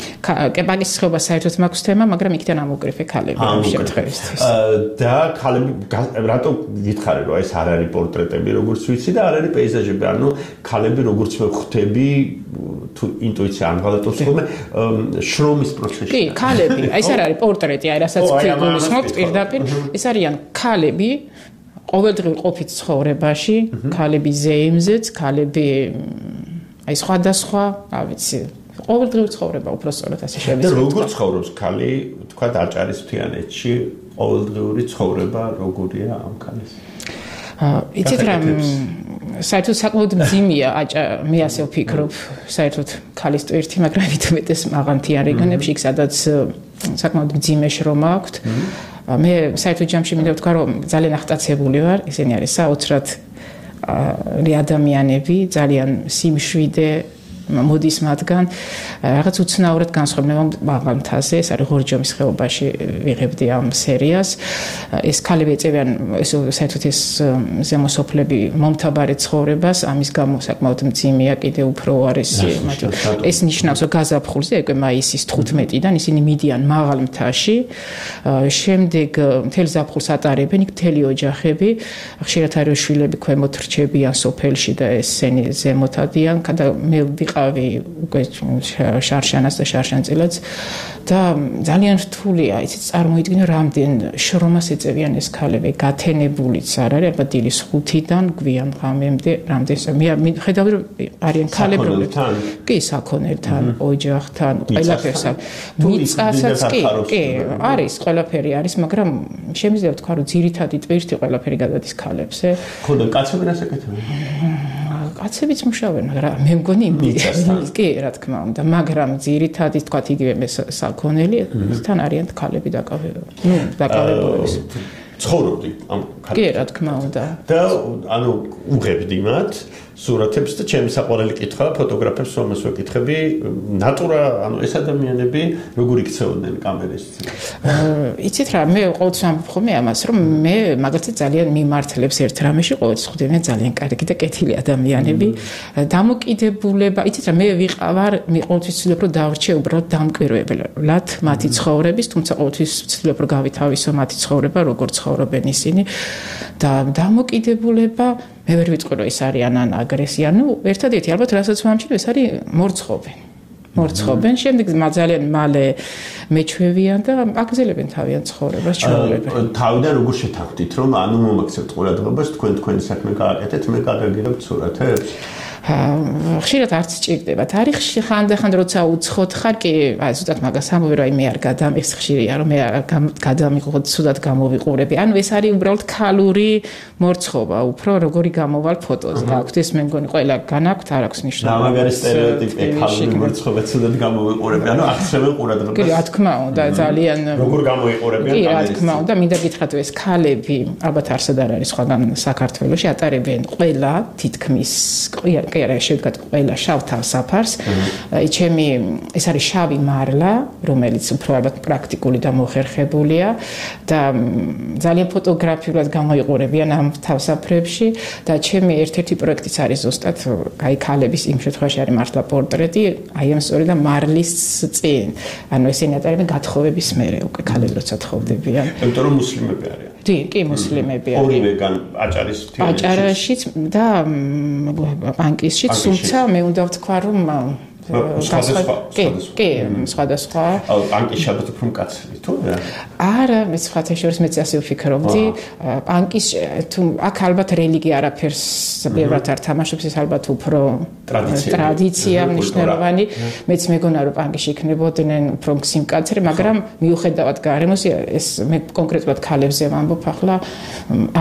პანკისის ხეობა საერთოდ მაქვს თემა, მაგრამ იქიდან ამოგრიფე ქალები ამ შემთხვევისთვის. და ქალები რატო გითხარი რომ ეს არ არის პორტრეტები როგორც ვიცი და არ არის პეიზაჟები, ანუ ქალები როგორც ვხვდები თუ ინტუიცია არ გალატოს ხოლმე შრომის პროცესში. კი, ქალები, ეს არ არის პორტრეტი, აი რასაც გულისხმობთ პირდაპირ, ეს არიან ქალები ყოველდღიურ ყოფით ცხოვრებაში, ქალები ზეიმზეც, ქალები აი სხვადასხვა, რა ვიცი, ყოველდღიურ ცხოვრება უბრალოდ ასე შევიზრდეთ. და როგორ ცხოვრობს ქალი, თქვა აჭარის მთიანეთში, ყოველდღიური ცხოვრება როგორია ამ ქალის? იცით რა, საერთოდ საკმაოდ მძიმეა მე ასე ვფიქრობ, საერთოდ ქალის ტვირთი, მაგრამ ვიტყვეტეს მაღალთიან რეგიონებში, იქ სადაც საკმაოდ მძიმე შრომა აქვთ. მე საერთოდ ჯამში მინდა ვთქვა, რომ ძალიან აღტაცებული ვარ, ესენი არის საოცრად ადამიანები, ძალიან სიმშვიდე მოდის მათგან რაღაც უცნაურად განსხვავდება მაღალმთაზე, ეს არის ღორჯომის ხეობაში ვიღებდი ამ სერიას. ეს ქალები ეწევიან საერთოდ ეს ზემოსოფლები მომთაბარე ცხოვრებას, ამის გამო საკმაოდ მძიმეა, კიდე უფრო არის ეს ნიშნავს, რომ გაზაფხულზე, უკვე მაისის 15-დან ისინი მიდიან მაღალმთაში, შემდეგ მთელ ზაფხულს ატარებენ იქ მთელი ოჯახები, ხშირად არის შვილები ქვემოთ რჩებიან სოფელში და ესენი ზემოთადიან და მე ვიყავი უკვე შარშანას და შარშანწილად და ძალიან რთულია, იცით, წარმოიდგინე რამდენ შრომას ეწევიან ეს ქალები, გათენებულიც არ არის, ალბათ დილის 5-დან გვიან ღამემდე, რამდენს მე ხედავდი რომ არიან ქალები, კი, საქონელთან, ოჯახთან, ყველაფერს. მიწასაც კი, არის, ყველაფერი არის, მაგრამ შემიძლია ვთქვა, რომ ძირითადი ტვირთი ყველაფერი გადადის ქალებზე. ხოდა კაცები რას ეკეთებენ? კაცებიც მუშაობენ, მაგრამ მე მგონი კი, რა თქმა უნდა, მაგრამ ძირითადად თქვა იგივე მე საქონელი თან არიან ქალები დაკავებულები. ცხოვრობდი ამ კი, რა თქმა უნდა. და ანუ უღებდი მათ სურათებს და ჩემი საყვარელი კითხვა ფოტოგრაფებს რომელს ვეკითხები, ნატურა, ანუ ეს ადამიანები როგორ იქცეოდნენ კამერის წინ? იცით რა, მე ყოველთვის ამბობ ხოლმე ამას, რომ მე მაგალითად ძალიან მიმართლებს ერთ რამეში, ყოველთვის ხვდები ძალიან კარგი და კეთილი ადამიანები. დამოკიდებულება, იცით რა, მე ვიყავარ, მე ყოველთვის ვცდილობ რომ დავრჩე უბრალოდ დამკვირვებლად მათი ცხოვრების, თუმცა ყოველთვის ვცდილობ რომ გავითავისო მათი ცხოვრება, როგორ ცხოვრობენ ისინი და დამოკიდებულება მე ვერ ვიტყვი რომ ეს არიან ან აგრესია, ერთადერთი ალბათ რასაც ვამჩნევ ეს არის მორცხობენ, შემდეგ ძალიან მალე მეჩვევიან და აგზელებენ თავიანთ ცხოვრებას, ჩვეულებრივ. თავიდან როგორ შეთანხმდით რომ ანუ მომაქცევთ ყურადღებას, თქვენი საქმე გააკეთეთ, მე გადაგიღებთ სურათებს? ხშირად არც ჭირდება. თარიღში ხანდახან როცა უცხოთ ხარ, კი, ზუსტად მაგას ამბობ, რომ მე არ გადამიხს ხშირია, რომ მე არ გადამიღოთ, სულად გამოვიყურები. ანუ ეს არის უბრალოდ ქალური მორცხობა, უფრო როგორი გამოვალ ფოტოზე. აქვთ ეს მე მგონი ყველა განაქვთ, არ აქვს მნიშვნელობა. მაგარი სტერეოტიპი ქალური მორცხობა სულად გამოვიყურები. ანუ აღწევენ ყურადღებას. კი, რა თქმა უნდა, ძალიან როგორ გამოიყურებიან კამერის. კი, რა თქმა უნდა, მინდა გითხრათ, ეს ქალები, ალბათ არსად არ არის სხვაგან საქართველოში, ატარებენ ყველა თითქმის კი არა შევდგათ ყველა შავ თავსაფარს. ჩემი ეს არის შავი მარლა, რომელიც უფრო ალბათ პრაქტიკული და მოხერხებულია და ძალიან ფოტოგრაფიულად გამოიყურებიან ამ თავსაფრებში და ჩემი ერთ-ერთი პროექტიც არის ზუსტად აი ქალების იმ შემთხვევაში არის მართლა პორტრეტი, აი ამ სწორედ მარლის წინ. ანუ ესენი ატარებენ გათხოვების მერე უკვე ქალები როცა თხოვდებიან. იმიტომ რომ მუსლიმები არიან. კი, მუსლიმები არიან. ორივეგან აჭარის აჭარაშიც და პანკისშიც, თუმცა მე უნდა ვთქვა, რომ სხვადასხვა. პანკის ალბათ უფრო მკაცრი თუ რა? არა, მე სხვათა შორის მეც ასე ვფიქრობდი. პანკის თუ აქ ალბათ რელიგია არაფერს ბევრად არ თამაშობს, ეს ალბათ უფრო ტრადიცია მნიშვნელოვანი. მეც მეგონა რომ პანკში იქნებოდნენ უფრო სიმკაცრე, მაგრამ მიუხედავად გარემოს ეს მე კონკრეტულად ქალებზე ვამბობ ახლა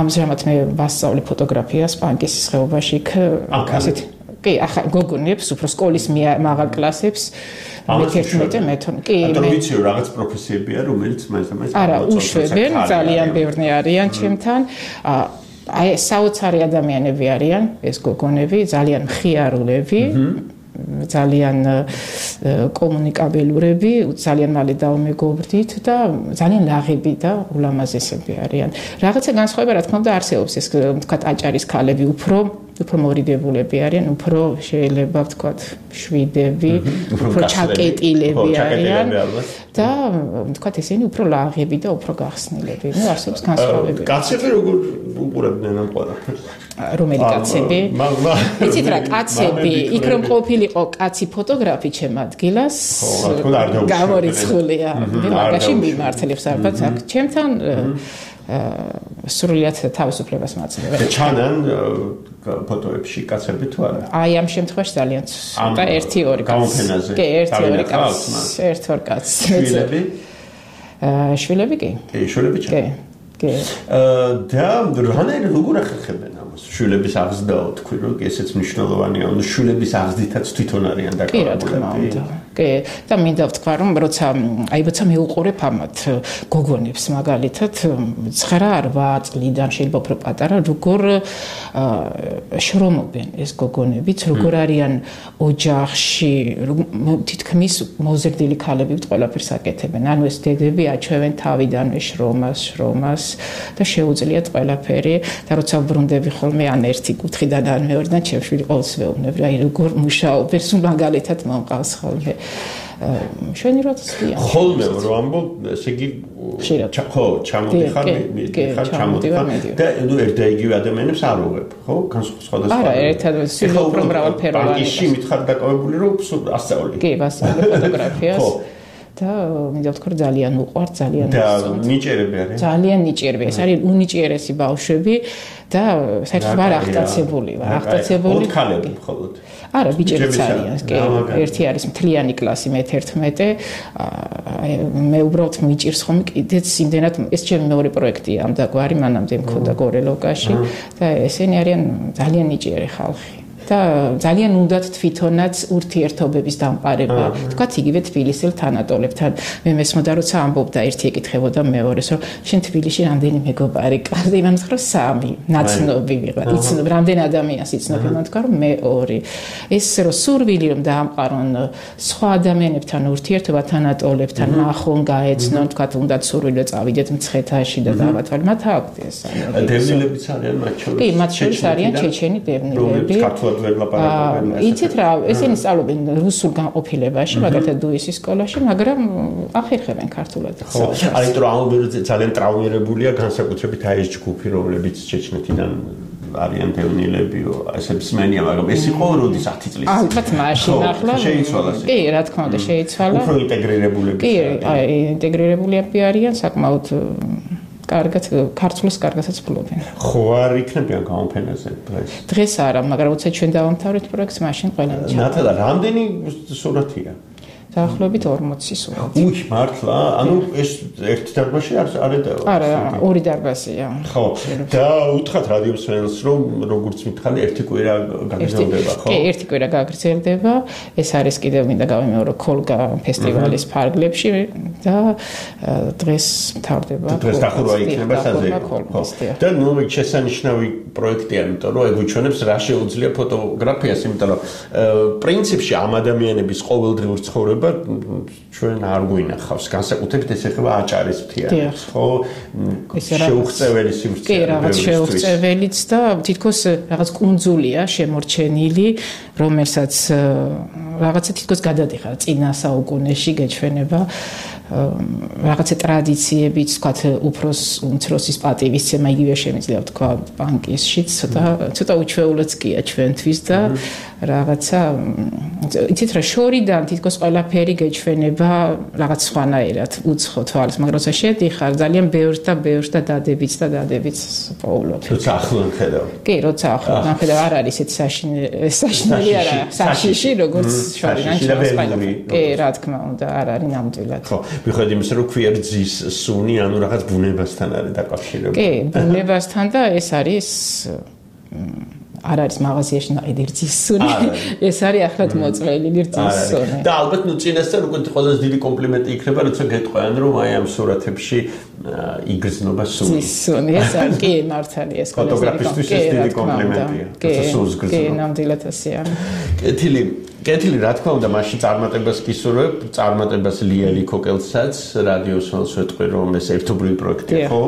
ამჟამად მე ვასწავლე ფოტოგრაფიას პანკის ხეობაში იქ ასეთი კი, ახლა გოგონებს, უფრო სკოლის მაღალ კლასებს, მე-11 კი, მე ვიცი რომ რაღაც პროფესიებია, რომელიც მაინც არა, უშვებენ, ძალიან ბევრნი არიან ჩემთან. აი, საოცარი ადამიანები არიან ეს გოგონები, ძალიან მხიარულები. ძალიან კომუნიკაბელურები, ძალიან მალე დავმეგობრდით და ძალიან ლაღები და ულამაზესები არიან. რაღაცა განსხვავება რა თქმა უნდა არსებობს, ეს თქვა აჭარის ქალები უფრო მორიდებულები არიან, უფრო შეიძლება ვთქვათ შვიდები, უფრო ჩაკეტილები არიან და ვთქვათ ესენი უფრო ლაღები და უფრო გახსნილები. ნუ არსებობს განსხვავებები. კაცები როგორ უყურებდნენ ამ ყველაფერს? რომელი კაცები? იცით რა, კაცები, იქ რომ ყოფილიყო კაცი ფოტოგრაფი ჩემ ადგილას, გამორიცხულია. მაგაში მიმართლებს ალბათ აქ ჩემთან სრულიად თავისუფლებას მაძლევენ. ჩანან ფოტოებში კაცები თუ არა? აი ამ შემთხვევაში ძალიან ცოტა 1-2 კაცი. კი, 1-2 კაცი. 1-2 კაცი. შვილები? შვილები კი. კი, შვილები ჩანან. კი. და რანაირად როგორ ახერხებენ ამას? შვილების აღზრდაო თქვი, რომ ესეც მნიშვნელოვანია, ანუ შვილების აღზრდითაც თვითონ არიან დაკავებულები. კი, და მინდა ვთქვა, რომ როცა მეუყურებ ამათ გოგონებს მაგალითად 9-8 წლიდან შეიძლება უფრო პატარა, როგორ შრომობენ ეს გოგონებიც, როგორ არიან ოჯახში, თითქმის მოზრდილი ქალები ყველაფერს აკეთებენ. ანუ ეს დედები აჩვევენ თავიდანვე შრომას და შეუძლიათ ყველაფერი და როცა ბრუნდები ხოლმე ან ერთი კუთხიდან ან მეორედან ჩემშვილი ყოველს ვეუბნები, აი როგორ მუშაობენ, მაგალითად მომყავს ხოლმე. შენი როცია. ხოლმე რომ ამბობ, ესე იგი ხო, ჩამოდიხარ და ნუ ერთ და იგივე ადამიანებს არ უღებ, ხო? სხვადასხვა. არა, ერთად უფრო მრავალფეროვანი. ბანკში მითხარ დაკავებული რომ ასწავლი. კი, ვასწავლე ფოტოგრაფიას. და მინდა ვთქვა რომ ძალიან უყვართ, ძალიან და ნიჭერები არის. ძალიან ნიჭერები. ეს არის უნიჭიერესი ბავშვები და საერთოდ ვარ აღტაცებული. ქალები მხოლოდ. არა, ბიჭებიც არიან. კი, ერთი არის მთლიანი კლასი მე-11. მე უბრალოდ მიჭირს ხომ კიდეც იმდენად ეს ჩემი მეორე პროექტია ამდაგვარი, მანამდე მქონდა გორელოკაში და ესენი არიან ძალიან ნიჭიერი ხალხი. და ძალიან უნდათ თვითონაც ურთიერთობების დამყარება. თქვათ იგივე თბილისელ თანატოლებთან. მე მესმოდა როცა ამბობდა ერთი ეკითხებოდა მეორეს, რომ შენ თბილისში რამდენი მეგობარი ყავს? იმან თქვა 3, ნაცნობი ვიღარ. იცნობ რამდენ ადამიანს იცნობ? იმან თქვა რომ მე 2. ეს რომ სურვილი რომ დაამყარონ სხვა ადამიანებთან ურთიერთობა თანატოლებთან, ნახონ, გაეცნონ, თქვათ უნდათ სურვილი რომ წავიდეთ მცხეთაში და დავათვალე. მათ აქვს ეს. დევნილებიც არიან მათ შორის. კი, მათ შორის არიან ჩეჩენი დევნილები. იცით რა, ესენი სწავლობენ რუსულ განყოფილებაში, მაგალითად დუისის სკოლაში, მაგრამ ახერხებენ ქართულად. აი რომ ძალიან ტრავმირებულია განსაკუთრებით აი ეს ჯგუფი, რომლებიც ჩეჩნეთიდან არიან დევნილებიო, ესე მსმენია, მაგრამ ეს იყო როდის 10 წლის. ალბათ მაშინ ახლა შეიცვალა. კი, რა თქმა უნდა, შეიცვალა. უფრო ინტეგრირებულები. კი, აი ინტეგრირებულები არიან საკმაოდ კარგად ქართულს კარგადაც ფლობენ. ხო არ იქნებიან გამოფენაზე დღეს? დღეს არა, მაგრამ როცა ჩვენ დავამთავრეთ პროექტს, მაშინ ყველანი ჩავარდა. ნატალა, რამდენი სურათია? დაახლოებით 40 სურათი. უი, მართლა? ანუ ეს ერთ დარბაზში არ ედავა? არა, 2 დარბაზია. ხო. და უთხრათ რადიო მსმენელს, რომ როგორც მითხარი, ერთი კვირა გაგრძელდება, ხო? კი, ერთი კვირა გაგრძელდება. ეს არის კიდევ მინდა გავიმეორო კოლგა ფესტივალის ფარგლებში და დღეს მთავრდება. დღეს დახურვა იქნება საზეიმო. და ნუ შესანიშნავი პროექტია, იმიტომ რომ ეგუჩვენებს რა შეუძლია ფოტოგრაფიას, იმიტომ რომ პრინციპში ამ ადამიანების ყოველდღიური ცხოვრება ჩვენ არ გვინახავს. განსაკუთრებით ეს ეხება აჭარის მთიანეთს, ხო? შეუღწეველი სივრცე. კი, რაღაც შეუღწეველიც და თითქოს რაღაც კუნძულია შემორჩენილი, რომელსაც რაღაცა თითქოს გადადიხარ წინა საუკუნეში გეჩვენება. რაღაცა ტრადიციებიც, თქვათ, უმცროსის პატივისცემა იგივე შემიძლია თქვა ბანკისშიც, ცოტა უჩვეულოც კია ჩვენთვის და რაღაცა იცით რა შორიდან თითქოს ყველაფერი გეჩვენება რაღაც სხვანაირად უცხო თვალს, მაგრამ როცა შედიხარ ძალიან ბევრს და დადებიც პოულობ. როცა ახლან ხედავ. კი, როცა ახლან ხედავ, არ არის ეს საშინელი არა, საშიში როგორც შორიდან ჩავსყიდავ. კი, რა თქმა უნდა, არ არის ნამდვილად. ხო, მიხედავთ იმისა, რომ ქვიერძის სუნი, ანუ რაღაც ბუნებასთან არის დაკავშირებული. კი, ბუნებასთან და ეს არის არ არის მაღაზიაში ნაიდი რძის სუნი. ეს არის ახლად მოწმელი რძის სუნი. და ალბათ ნუ წინასწარ უკვე ყველაზე დიდი კომპლიმენტი იქნება, როცა გეტყვიან, რომ აი ამ სურათებში იგრძნობა სუნი. სუნი, ეს არის კი მართალია ეს ფოტოგრაფისტვის ეს დიდი კომპლიმენტია. კი, ნამდვილად ასეა. კეთილი კეთილი, რა თქმა უნდა, მაშინ წარმატებას გისურვებ, წარმატებას ლიელი ქოკელსაც, რადიოს ვალს ვეტყვი, რომ ეს ერთობლივი პროექტია, ხო?